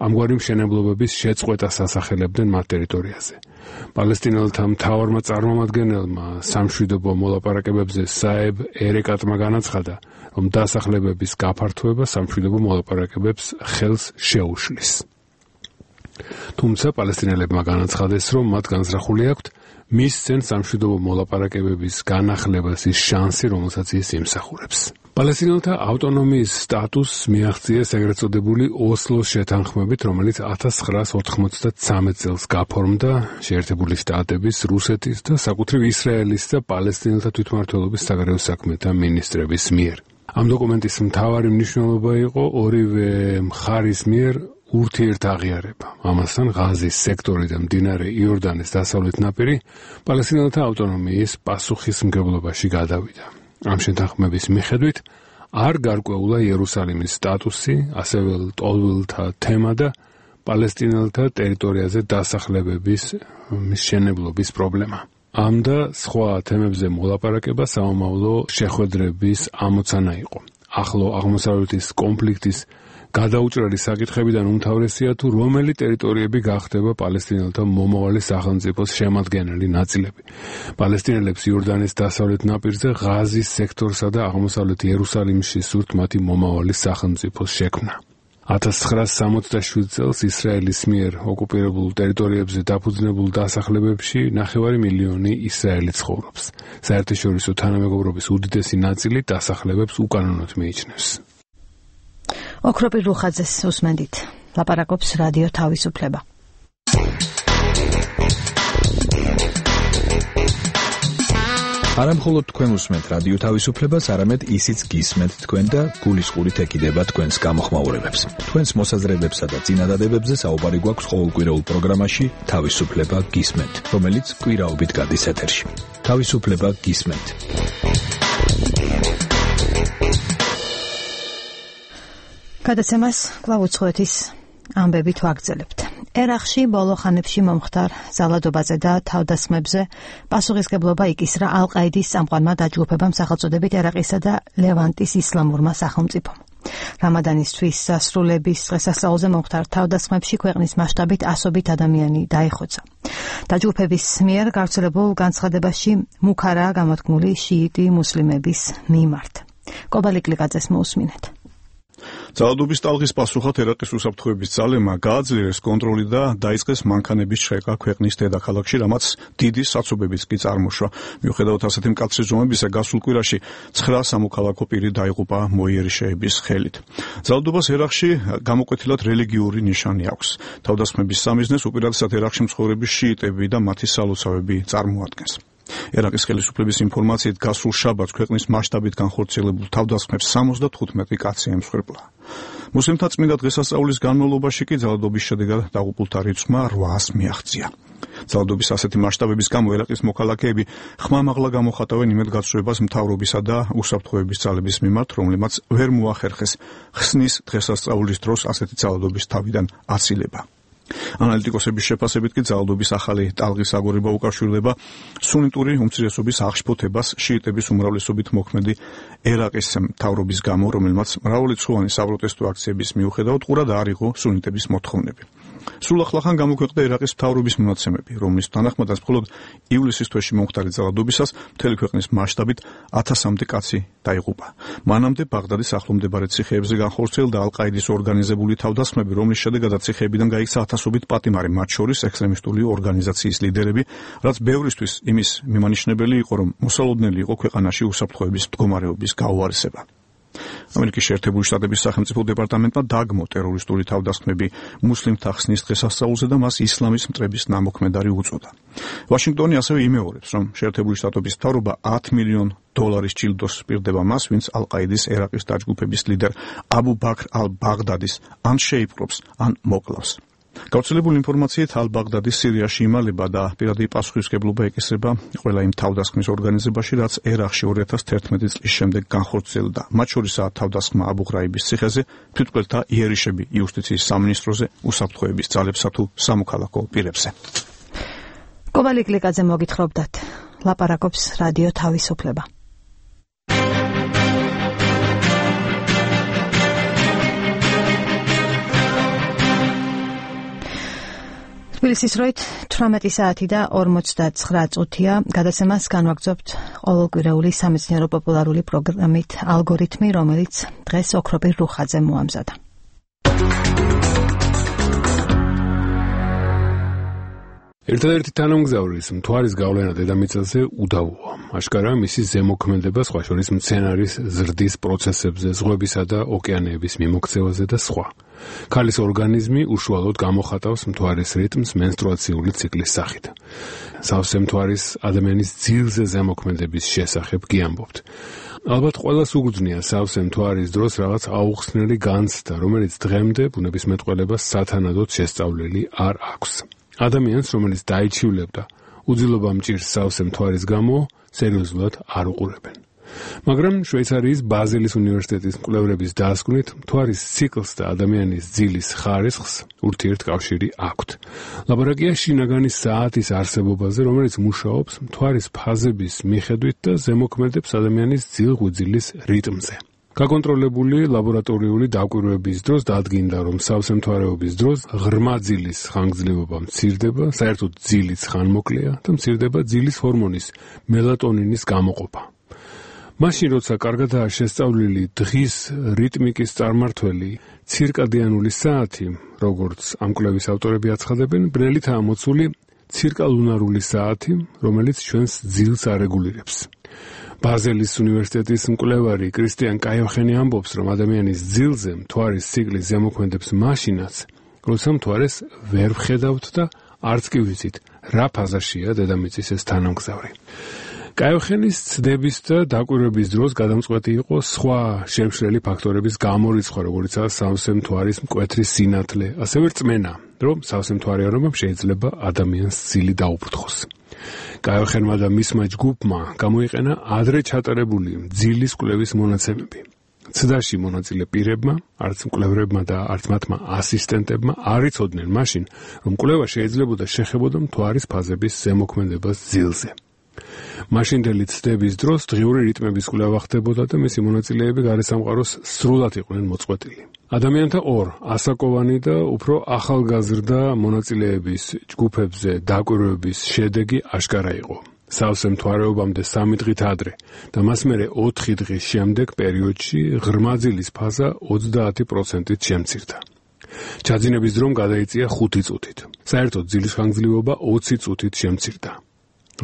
ამგვარი მშენებლობების შეწყვეტას ასახელებდნენ მათ ტერიტორიაზე. პალესტინელთა მთავარმა წარმომადგენელმა სამშვიდობო მოლაპარაკებებზე საებ ერეკატმა განაცხადა, რომ დასახლებების გაფართოება სამშვიდობო მოლაპარაკებებს ხელს შეუშლის. თუმცა პალესტინელებმა განაცხადეს, რომ მათ განზრახული აქვთ მისცენ სამშვიდობო მოლაპარაკებების განახლებას ის შანსი, რომელსაც ის იმსახურებს. პალესტინელთა ავტონომიის სტატუსს მიაღწიეს ეგრეთ წოდებული ოსლოს შეთანხმებით, რომელიც ათას ცხრაას ოთხმოცდათსამეტ წელს გაფორმდა შეერთებული შტატების, რუსეთის და საკუთრივ ისრაელის და პალესტინელთა თვითმმართველობის საგარეო საქმეთა მინისტრების მიერ. ამ დოკუმენტის მთავარი მნიშვნელობა იყო ორივე მხარის მიერ ურთიერთაღიარება. ამასთან ღაზის სექტორი და მდინარე იორდანის დასავლეთ ნაპირი პალესტინელთა ავტონომიის პასუხისმგებლობაში გადავიდა. ამ შეთანხმების მიხედვით არ გარკვეულა იერუსალიმის სტატუსი, ასევე ლტოლვილთა თემა და პალესტინელთა ტერიტორიაზე დასახლებების მშენებლობის პრობლემა. ამ და სხვა თემებზე მოლაპარაკება საომავლო შეხვედრების ამოცანა იყო. ახლო აღმოსავლეთის კონფლიქტის გადაუჭრელი საკითხებიდან უმთავრესია თუ რომელი ტერიტორიები გახდება პალესტინელთა მომავალი სახელმწიფოს შემადგენელი ნაწილები. პალესტინელებს იორდანის დასავლეთ ნაპირზე ღაზის სექტორსა და აღმოსავლეთ იერუსალიმში სურთ მათი მომავალი სახელმწიფოს შექმნა. ათას ცხრაას სამოცდაშვიდ წელს ისრაელის მიერ ოკუპირებულ ტერიტორიებზე დაფუძნებულ დასახლებებში ნახევარი მილიონი ისრაელი ცხოვრობს. საერთაშორისო თანამეგობრობის უდიდესი ნაწილი დასახლებებს უკანონოდ მიიჩნევს. ოქროპირ რუხაძეს უსმენდით. ლაპარაკობს რადიო თავისუფლება. არა მხოლოდ თქვენ უსმენთ რადიო თავისუფლებას, არამედ ისიც გისმენთ თქვენ და გულისყურით ეკიდება თქვენს გამოხმაურებებს. თქვენს მოსაზრებებსა და წინადადებებზე საუბარი გვაქვს ყოველკვირეულ პროგრამაში თავისუფლება გისმენთ, რომელიც კვირაობით გადის ეთერში. თავისუფლება გისმენთ. გადაცემას კვლავ უცხოეთის ამბებით ვაგრძელებთ. ერაყში ბოლო ხანებში მომხდარ ძალადობაზე და თავდასხმებზე პასუხისმგებლობა იკისრა ალ-ყაიდის წამყვანმა დაჯგუფებამ სახელწოდებით ერაყისა და ლევანტის ისლამურმა სახელმწიფომ. რამადანის თვის სასრულების დღესასწაულზე მომხდარ თავდასხმებში ქვეყნის მასშტაბით ასობით ადამიანი დაიხოცა. დაჯგუფების მიერ გავრცელებულ განცხადებაში მუქარაა გამოთქმული შიიტი მუსლიმების მიმართ. კობალიკ ლიკაძეს მოусმინეთ. ძალადობის ტალღის პასუხად ერაყის უსაფრთხოების ძალებმა გააძლიერეს კონტროლი და დაიწყეს მანქანების შეკა ქვეყნის დედაქალაქში, რამაც დიდი საცობებიც კი წარმოშვა. მიუხედავად ასეთი მკაცრი ზომებისა, გასულ კვირაში ცხრა სამოქალაქო პირი დაიღუპა მოიერიშეების ხელით. ძალადობას ერაყში გამოკვეთილად რელიგიური ნიშანი აქვს. თავდასხმების სამიზნეს უპირატესად ერაყში მცხოვრები შიიტები და მათი სალოცავები წარმოადგენს. ერაყის ხელისუფლების ინფორმაციით გასულ შაბათს ქვეყნის მასშტაბით განხორციელებულ თავდასხმებს სამოცდათხუთმეტი კაცი ემსხვერპლა. მუსლიმთა წმინდა დღესასწაულის განმავლობაში კი ძალადობის შედეგად დაღუპულთა რიცხვმა რვაას მიაღწია. ძალადობის ასეთი მასშტაბების გამო ერაყის მოქალაქეები ხმამაღლა გამოხატავენ იმედგაცრუებას მთავრობისა და უსაფრთხოების ძალების მიმართ, რომლებმაც ვერ მოახერხეს ხსნის დღესასწაულის დროს ასეთი ძალადობის თავიდან აცილება. ანალიტიკოსების შეფასებით კი ძალადობის ახალი ტალღის აგორება უკავშირდება სუნიტური უმცირესობის აღშფოთებას შიიტების უმრავლესობით მოქმედი ერაყის მთავრობის გამო, რომელმაც მრავალრიცხოვანი საპროტესტო აქციების მიუხედავად ყურად არ იყო სუნიტების მოთხოვნები. სულ ახლახან გამოქვეყნდა ერაყის მთავრობის მონაცემები, რომლის თანახმადაც მხოლოდ ივლისის თვეში მომხდარი ძალადობისას მთელი ქვეყნის მასშტაბით ათასამდე კაცი დაიღუპა. მანამდე ბაღდადის ახლომდებარე ციხეებზე განხორციელდა ალ-ყაიდის ორგანიზებული თავდასხმები, რომლის შედეგადაც ციხეებიდან გაიქცა ათასობით პატიმარი, მათ შორის ექსტრემისტული ორგანიზაციის ლიდერები, რაც ბევრისთვის იმის მიმანიშნებელი იყო, რომ მოსალოდნელი იყო ქვეყანაში უსაფრთხოების მდგომარეობის გაუარესება. ამერიკის შეერთებული შტატების სახელმწიფო დეპარტამენტმა დაგმო ტერორისტული თავდასხმები მუსლიმთა ხსნის დღესასწაულზე და მას ისლამის მტრების ნამოქმედარი უწოდა. ვაშინგტონი ასევე იმეორებს, რომ შეერთებული შტატების მთავრობა ათი მილიონი დოლარის ჯილდოს სპირდება მას, ვინც ალ-ყაიდის ერაყის დაჯგუფების ლიდერ აბუ ბაქრ ალ-ბაღდადის ან შეიპყრობს, ან მოკლავს. გავრცელებული ინფორმაციით ალ-ბაღდადი სირიაში იმალება და პირადი პასუხისმგებლობა ეკისრება ყველა იმ თავდასხმის ორგანიზებაში, რაც ერაყში ორი ათას თერთმეტი წლის შემდეგ განხორციელდა. მათ შორისაა თავდასხმა აბუ ღრაიბის ციხეზე, თვითმკვლელთა იერიშები იუსტიციის სამინისტროზე, უსაფრთხოების ძალებსა თუ სამოქალაქო პირებზე. კობალიკ ლიკაძე მოგითხრობდათ. ლაპარაკობს რადიო თავისუფლება. თბილისის დროით თვრამეტი საათი და ორმოცდაცხრა წუთია. გადაცემას განვაგრძობთ ყოველკვირეული სამეცნიერო პოპულარული პროგრამით ალგორითმი, რომელიც დღეს ოქროპირ რუხაძე მოამზადა. ერთადერთი თანამგზავრის მთვარის გავლენა დედამიწაზე უდავოა. აშკარაა მისი ზემოქმედება სხვა შორის მცენარის ზრდის პროცესებზე, ზღვებისა და ოკეანეების მიმოქცევაზე და სხვა. ქალის ორგანიზმი უშუალოდ გამოხატავს მთვარის რიტმს მენსტრუაციული ციკლის სახით. სავსე მთვარის ადამიანის ძილზე ზემოქმედების შესახებ გიამბობთ. ალბათ ყველას უგრძნია სავსე მთვარის დროს რაღაც აუხსნელი განცდა, რომელიც დღემდე ბუნებისმეტყველებას სათანადოდ შესწავლილი არ აქვს. ადამიანს, რომელიც დაიჩივლებდა უძილობა მჭირს სავსე მთვარის გამო, სერიოზულად არ უყურებენ. მაგრამ შვეიცარიის ბაზელის უნივერსიტეტის მკვლევრების დასკვნით, მთვარის ციკლს და ადამიანის ძილის ხარისხს ურთიერთკავშირი აქვთ. ლაბორატორია შინაგანი საათის არსებობაზე, რომელიც მუშაობს მთვარის ფაზების მიხედვით და ზემოქმედებს ადამიანის ძილ-ღვიძლის რიტმზე. გაკონტროლებული ლაბორატორიული დაკვირვების დროს დადგინდა, რომ სავსე მთვარეობის დროს ღრმა ძილის ხანგრძლივობა მცირდება, საერთოდ ძილიც ხანმოკლეა და მცირდება ძილის ჰორმონის მელატონინის გამოყოფა. მაშინ, როცა კარგადაა შესწავლილი დღის რიტმიკის წარმართველი ცირკადიანული საათი, როგორც ამ კვლევის ავტორები აცხადებენ, ბნელითაა მოცული ცირკალუნარული საათი, რომელიც ჩვენს ძილს არეგულირებს. ბაზელის უნივერსიტეტის მკვლევარი კრისტიან კაიოხენი ამბობს, რომ ადამიანის ძილზე მთვარის ციკლი ზემოქმედებს მაშინაც, როცა მთვარეს ვერ ვხედავთ და არც კი ვიცით, რა ფაზაშია დედამიწის ეს თანამგზავრი. კაიოხენის ცდების და დაკვირვების დროს გადამწყვეტი იყო სხვა შემშლელი ფაქტორების გამორიცხვა, როგორიცაა სავსე მთვარის მკვეთრი სინათლე, ასევე რწმენა, რომ სავსე მთვარიანობამ შეიძლება ადამიანს ძილი დაუფრთხოს. კაიოხენმა და მისმა ჯგუფმა გამოიყენა ადრე ჩატარებული ძილის კვლევის მონაცემები. ცდაში მონაწილე პირებმა, არც მკვლევრებმა და არც მათმა ასისტენტებმა არ იცოდნენ მაშინ, რომ კვლევა შეიძლებოდა შეხებოდა მთვარის ფაზების ზემოქმედებას ძილზე. მაშინდელი ცდების დროს დღიური რიტმების კვლევა ხდებოდა და მისი მონაწილეები გარესამყაროს სრულად იყვნენ მოწყვეტილი. ადამიანთა ორ ასაკოვანი და უფრო ახალგაზრდა მონაწილეების ჯგუფებზე დაკვირვების შედეგი აშკარა იყო. სავსე მთვარეობამდე სამი დღით ადრე და მას მერე ოთხი დღის შემდეგ პერიოდში ღრმა ძილის ფაზა ოცდაათი პროცენტით შემცირდა. ჩაძინების დრომ გადაიწია ხუთი წუთით. საერთოდ ძილის ხანგრძლივობა ოცი წუთით შემცირდა.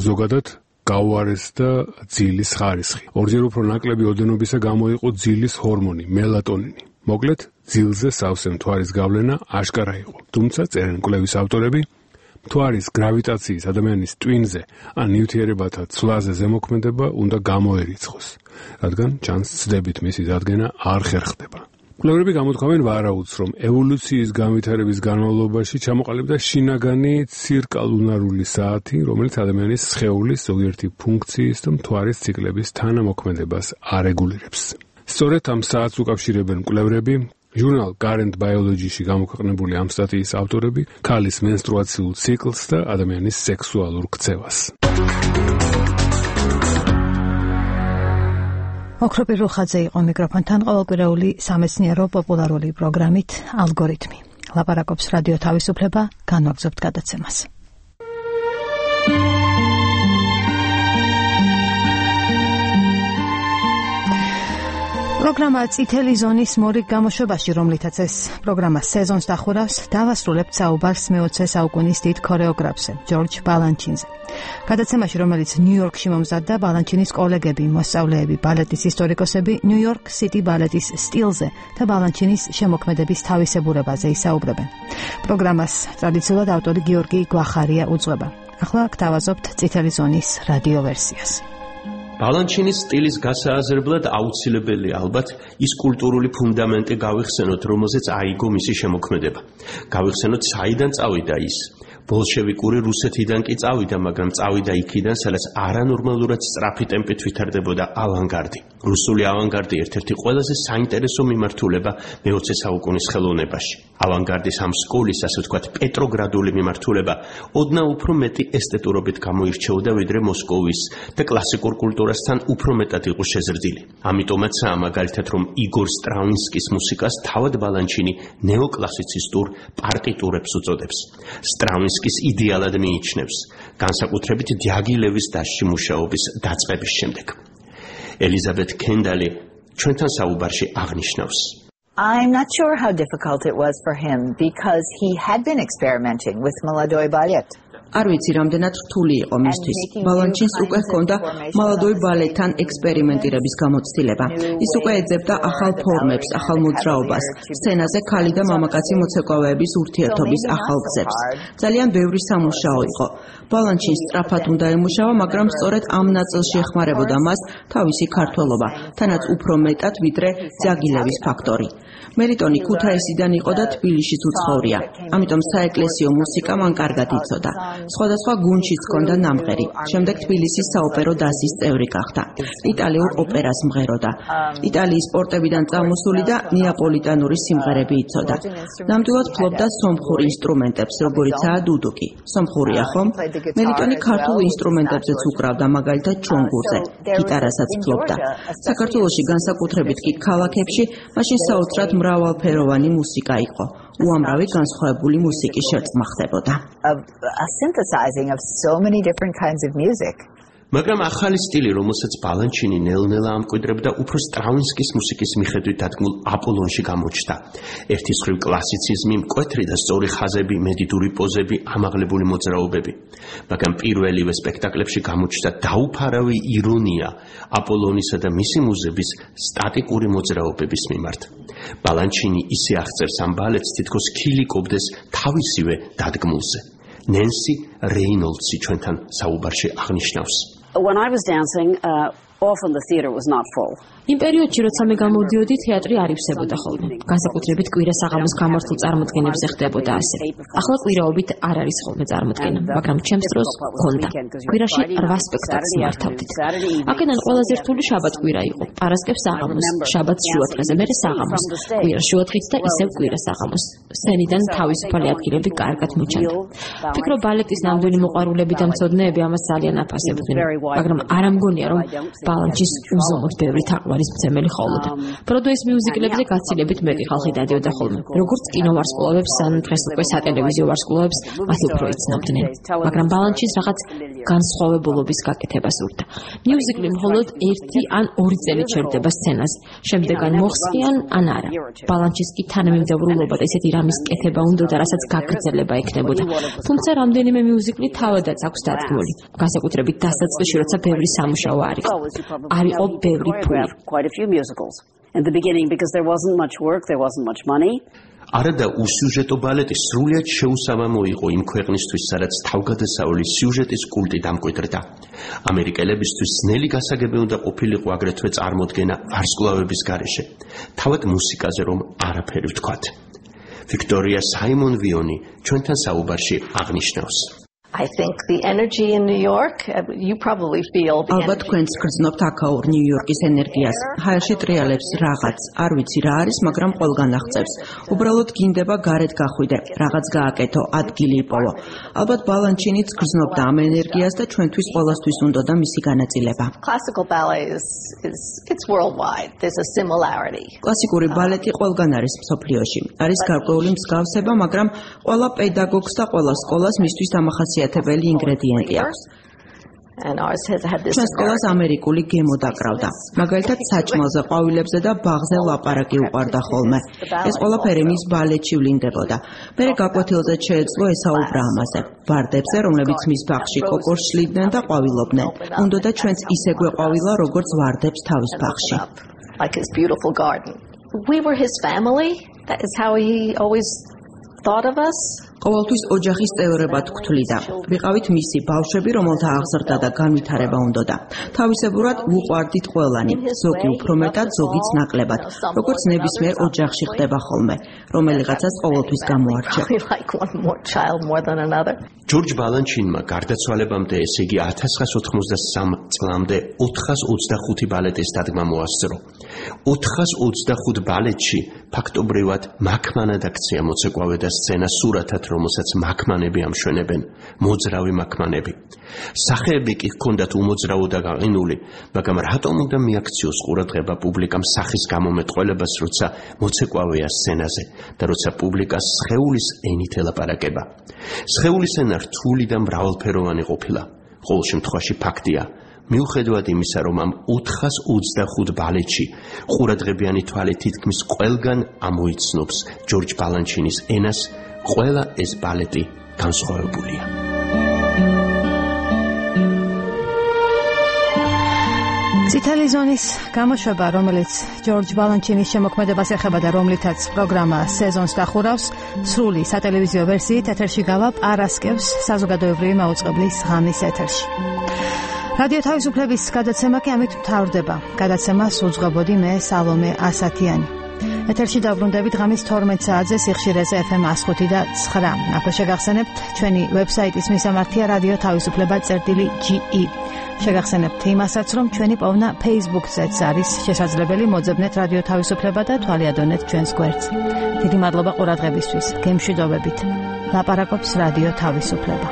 ზოგადად გაუარესდა ძილის ხარისხი. ორჯერ უფრო ნაკლები ოდენობისა გამოიყო ძილის ჰორმონი მელატონინი. მოკლედ, ძილზე სავსე მთვარის გავლენა აშკარა იყო. თუმცა წერენ კვლევის ავტორები, მთვარის გრავიტაციის ადამიანის ტვინზე ან ნივთიერებათა ცვლაზე ზემოქმედება უნდა გამოერიცხოს, რადგან ჩანს ცდებით მისი დადგენა არ ხერხდება. კვლევრები გამოთქვამენ ვარაუდს, რომ ევოლუციის განვითარების განმავლობაში ჩამოყალიბდა შინაგანი ცირკალუნარული საათი, რომელიც ადამიანის სხეულის ზოგიერთი ფუნქციის და მთვარის ციკლების თანამოქმედებას არეგულირებს. სწორედ ამ საათს უკავშირებენ კვლევრები, ჟურნალ Current Biology-ში გამოქვეყნებული ამ სტატიის ავტორები, ქალის მენსტრუაციულ ციკლს და ადამიანის სექსუალურ ქცევას. ოქროპირ რუხაძე იყო მიკროფონთან ყოველკვირეული სამეცნიერო პოპულარული პროგრამით ალგორითმი. ლაპარაკობს რადიო თავისუფლება, განვაგრძობთ გადაცემას. პროგრამა წითელი ზონის მორიგ გამოშვებაში, რომლითაც ეს პროგრამა სეზონს დახურავს, დავასრულებთ საუბარს მეოცე საუკუნის დიდ ქორეოგრაფზე, ჯორჯ ბალანჩინზე. გადაცემაში, რომელიც ნიუ-იორკში მომზადდა, ბალანჩინის კოლეგები, მოსწავლეები, ბალეტის ისტორიკოსები ნიუ-იორკ სიტი ბალეტის სტილზე და ბალანჩინის შემოქმედების თავისებურებაზე ისაუბრებენ. პროგრამას ტრადიციულად ავტორი გიორგი გვახარია უძღვება. ახლა გთავაზობთ წითელი ზონის რადიო ვერსიას. ბალანჩინის სტილის გასააზრებლად აუცილებელია ალბათ ის კულტურული ფუნდამენტი გავიხსენოთ, რომელზეც აიგო მისი შემოქმედება. გავიხსენოთ, საიდან წავიდა ის. ბოლშევიკური რუსეთიდან კი წავიდა, მაგრამ წავიდა იქიდან, სადაც არანორმალურად სწრაფი ტემპით ვითარდებოდა ავანგარდი. რუსული ავანგარდი ერთ-ერთი ყველაზე საინტერესო მიმართულება მეოცე საუკუნის ხელოვნებაში. ავანგარდის ამ სკოლის, ასე ვთქვათ, პეტროგრადული მიმართულება ოდნავ უფრო მეტი ესთეტურობით გამოირჩეოდა, ვიდრე მოსკოვის და კლასიკურ კულტურასთან უფრო მეტად იყო შეზრდილი. ამიტომაცაა მაგალითად, რომ იგორ სტრაუნსკის მუსიკას თავად ბალანჩინი ნეოკლასიცისტურ პარტიტურებს უწოდებს. სტრაუნსკი სტრაუნსკის იდეალად მიიჩნევს, განსაკუთრებით დიაგილევის დასში მუშაობის დაწყების შემდეგ. ელიზაბეთ კენდალი ჩვენთან საუბარში აღნიშნავს. I'm not sure how difficult it was for him because he had been experimenting with Молодой балет. არ ვიცი რამდენად რთული იყო მისთვის. ბალანჩინს უკვე ჰქონდა молодой балетთან ექსპერიმენტირების გამოცდილება. ის უკვე ეძებდა ახალ ფორმებს, ახალ მოძრაობას, სცენაზე ქალი და მამაკაცი მოცეკვავეების ურთიერთობის ახალ გზებს. ძალიან ბევრი სამუშაო იყო. ბალანჩინს სწრაფად უნდა ემუშავა, მაგრამ სწორედ ამ ნაწილში ეხმარებოდა მას თავისი ქართველობა, თანაც უფრო მეტად ვიდრე ძაგილევის ფაქტორი. მელიტონი ქუთაისიდან იყო და თბილისშიც უცხოვრია. ამიტომ საეკლესიო მუსიკა მან კარგად იცოდა. სხვადასხვა გუნდშიც ჰქონდა ნამღერი. შემდეგ თბილისის საოპერო დასის წევრი გახდა. იტალიურ ოპერას მღეროდა. იტალიის პორტებიდან წამოსული და ნეაპოლიტანური სიმღერები იცოდა. ნამდვილად ფლობდა სომხურ ინსტრუმენტებს, როგორიცაა დუდუკი. სომხურია ხომ? მელიტონი ქართულ ინსტრუმენტებზეც უკრავდა, მაგალითად ჩონგურზე. გიტარასაც ფლობდა. საქართველოში განსაკუთრებით კი ქალაქებში მაშინ საოცრად მრავალფეროვანი მუსიკა იყო. უამრავი განსხვავებული მუსიკის შერწყმა ხდებოდა. A synthesizing of so many different kinds of music. მაგრამ ახალი სტილი, რომელსაც ბალანჩინი ნელ-ნელა ამკვიდრებდა, უფრო სტრაუნსკის მუსიკის მიხედვით დადგმულ აპოლონში გამოჩნდა. ერთი მხრივ კლასიციზმი, მკვეთრი და სწორი ხაზები, მედიტური პოზები, ამაღლებული მოძრაობები. მაგრამ პირველივე სპექტაკლებში გამოჩნდა დაუფარავი ირონია აპოლონისა და მისი მუზების სტატიკური მოძრაობების მიმართ. ბალანჩინი ისე აღწერს ამ ბალეტს, თითქოს ქილიკობდეს თავისივე დადგმულზე. ნენსი რეინოლდსი ჩვენთან საუბარში აღნიშნავს. When I was dancing, uh, often the theater was not full. იმ პერიოდში, როცა მე გამოვდიოდი, თეატრი არ ივსებოდა ხოლმე. განსაკუთრებით კვირა საღამოს გამართულ წარმოდგენებზე ხდებოდა ასე. ახლა კვირაობით არ არის ხოლმე წარმოდგენა, მაგრამ ჩემს დროს გქონდა. კვირაში რვა სპექტაკლს მართავდით. აქედან ყველაზე რთული შაბათ-კვირა იყო. პარასკევს საღამოს, შაბათს შუადღეზე, მერე საღამოს. კვირა შუადღით და ისევ კვირა საღამოს. სცენიდან თავისუფალი ადგილები კარგად მოჩანდა. ვფიქრობ, ბალეტის ნამდვილი მოყვარულები და მცოდნეები ამას ძალიან აფასებდნენ, მაგრამ არ ამგონია, რომ ბალანჩის უზომოდ ბევრი თაყვანი არის მცემელი ხოლმე. ბროდვეის მიუზიკლებზე გაცილებით მეტი ხალხი დადიოდა ხოლმე. როგორც კინოვარსკვლავებს, ან დღეს უკვე სატელევიზიო ვარსკვლავებს, მათ უფრო იცნობდნენ. მაგრამ ბალანჩის რაღაც განსხვავებულობის გაკეთება სურდა. მიუზიკლი მხოლოდ ერთი ან ორი წელი ჩერდება სცენაზე. შემდეგ ან მოხსნიან, ან არა. ბალანჩის კი თანამიმდევრულობა და ისეთი რამის კეთება უნდოდა, რასაც გაგრძელება ექნებოდა. თუმცა რამდენიმე მიუზიკლი თავადაც აქვს დადგმული. განსაკუთრებით დასაწყისში, როცა ბევრი სამუშაო არ იყო. არ იყო ბევრი ფული. Quite a few musicals. In the beginning, because there wasn't much work, there wasn't much money. არადა უსიუჟეტო ბალეტი სრულიად შეუსაბამო იყო იმ ქვეყნისთვის, სადაც თავგადასავალი სიუჟეტის კულტი დამკვიდრდა. ამერიკელებისთვის ძნელი გასაგები უნდა ყოფილიყო აგრეთვე წარმოდგენა ვარსკვლავების გარეშე. თავად მუსიკაზე რომ არაფერი ვთქვათ. ვიქტორია საიმონ-ვიონი ჩვენთან საუბარში აღნიშნავს. I think the energy in New York, you probably feel the ალბათ თქვენც გრძნობთ აქაურ ნიუ-იორკის ენერგიას. ჰაერში ტრიალებს რაღაც, არ ვიცი რა არის, მაგრამ ყველგან აღწევს. უბრალოდ გინდება გარეთ გახვიდე, რაღაც გააკეთო, ადგილი იპოვო. ალბათ ბალანჩინიც გრძნობდა ამ ენერგიას და ჩვენთვის ყველასთვის უნდოდა მისი განაწილება. Classical ballet is, is it's worldwide. There's a similarity. კლასიკური ბალეტი ყველგან არის მსოფლიოში. არის გარკვეული მსგავსება, მაგრამ ყველა პედაგოგს და ყველა სკოლას მისთვის დამახასიათებელი ათებელი ინგრედიენტი აქვს. ჩვენ სკოლას ამერიკული გემო დაკრავდა. მაგალითად, საჭმელზე, ყვავილებზე და ბაღზე ლაპარაკი უყარდა ხოლმე. ეს ყველაფერი მის ბალეტში ვლინდებოდა. მერე გაკვეთილზე შეეძლო ესაუბრა ამაზე. ვარდებზე, რომლებიც მის ბაღში კოკორს შლიდნენ და ყვავილობდნენ. უნდოდა ჩვენც ისე გვეყვავილა, როგორც ვარდებს თავის ბაღში. Like his beautiful garden. We were his family. That is how he always thought of us. ყოველთვის ოჯახის წევრებად გვთვლიდა. ვიყავით მისი ბავშვები, რომელთა აღზრდა და განვითარება უნდოდა. თავისებურად ვუყვარდით ყველანი, ზოგი უფრო მეტად, ზოგიც ნაკლებად, როგორც ნებისმიერ ოჯახში ხდება ხოლმე, რომელიღაცას ყოველთვის გამოარჩევ. ჯორჯ ბალანჩინმა გარდაცვალებამდე, ესე იგი ათას ცხრაას ოთხმოცდასამ წლამდე ოთხას ოცდახუთი ბალეტის დადგმა მოასწრო. ოთხას ოცდახუთ ბალეტში ფაქტობრივად მაქმანად აქცია მოცეკვავე და სცენა სურათად, რომელსაც მაქმანები ამშვენებენ, მოძრავი მაქმანები. სახეები კი ჰქონდათ უმოძრავო და გაყინული, მაგრამ რატომ უნდა მიაქციოს ყურადღება პუბლიკამ სახის გამომეტყველებას, როცა მოცეკვავეა სცენაზე და როცა პუბლიკას სხეულის ენით ელაპარაკება. სხეულის ენა რთული და მრავალფეროვანი ყოფილა. ყოველ შემთხვევაში ფაქტია, მიუხედავად იმისა, რომ ამ ოთხას ოცდახუთ ბალეტში ყურადღებიანი თვალით თითქმის ყველგან ამოიცნობს ჯორჯ ბალანჩინის ენას, ყველა ეს ბალეტი განსხვავებულია. წითელი ზონის გამოშვება, რომელიც ჯორჯ ბალანჩინის შემოქმედებას ეხება და რომლითაც პროგრამა სეზონს დახურავს, სრული სატელევიზიო ვერსიით ეთერში გავა პარასკევს საზოგადოებრივი მაუწყებლის ღამის ეთერში. რადიო თავისუფლების გადაცემა კი ამით მთავრდება. გადაცემას უძღვებოდი მე, სალომე ასათიანი. ეთერში დაბრუნდებით ღამის თორმეტ საათზე სიხშირეზე ეფ ემ εκ ხუთი და ცხრა. აქვე შეგახსენებთ ჩვენი ვებსაიტის მისამართია რადიო თავისუფლება წერტილი ჯი ი. შეგახსენებთ იმასაც, რომ ჩვენი პოვნა Facebook-ზეც არის შესაძლებელი, მოძებნეთ რადიო თავისუფლება და თვალიადონეთ ჩვენს გვერდს. დიდი მადლობა ყურადღებისთვის. გემშვიდობებით. ლაპარაკობს რადიო თავისუფლება.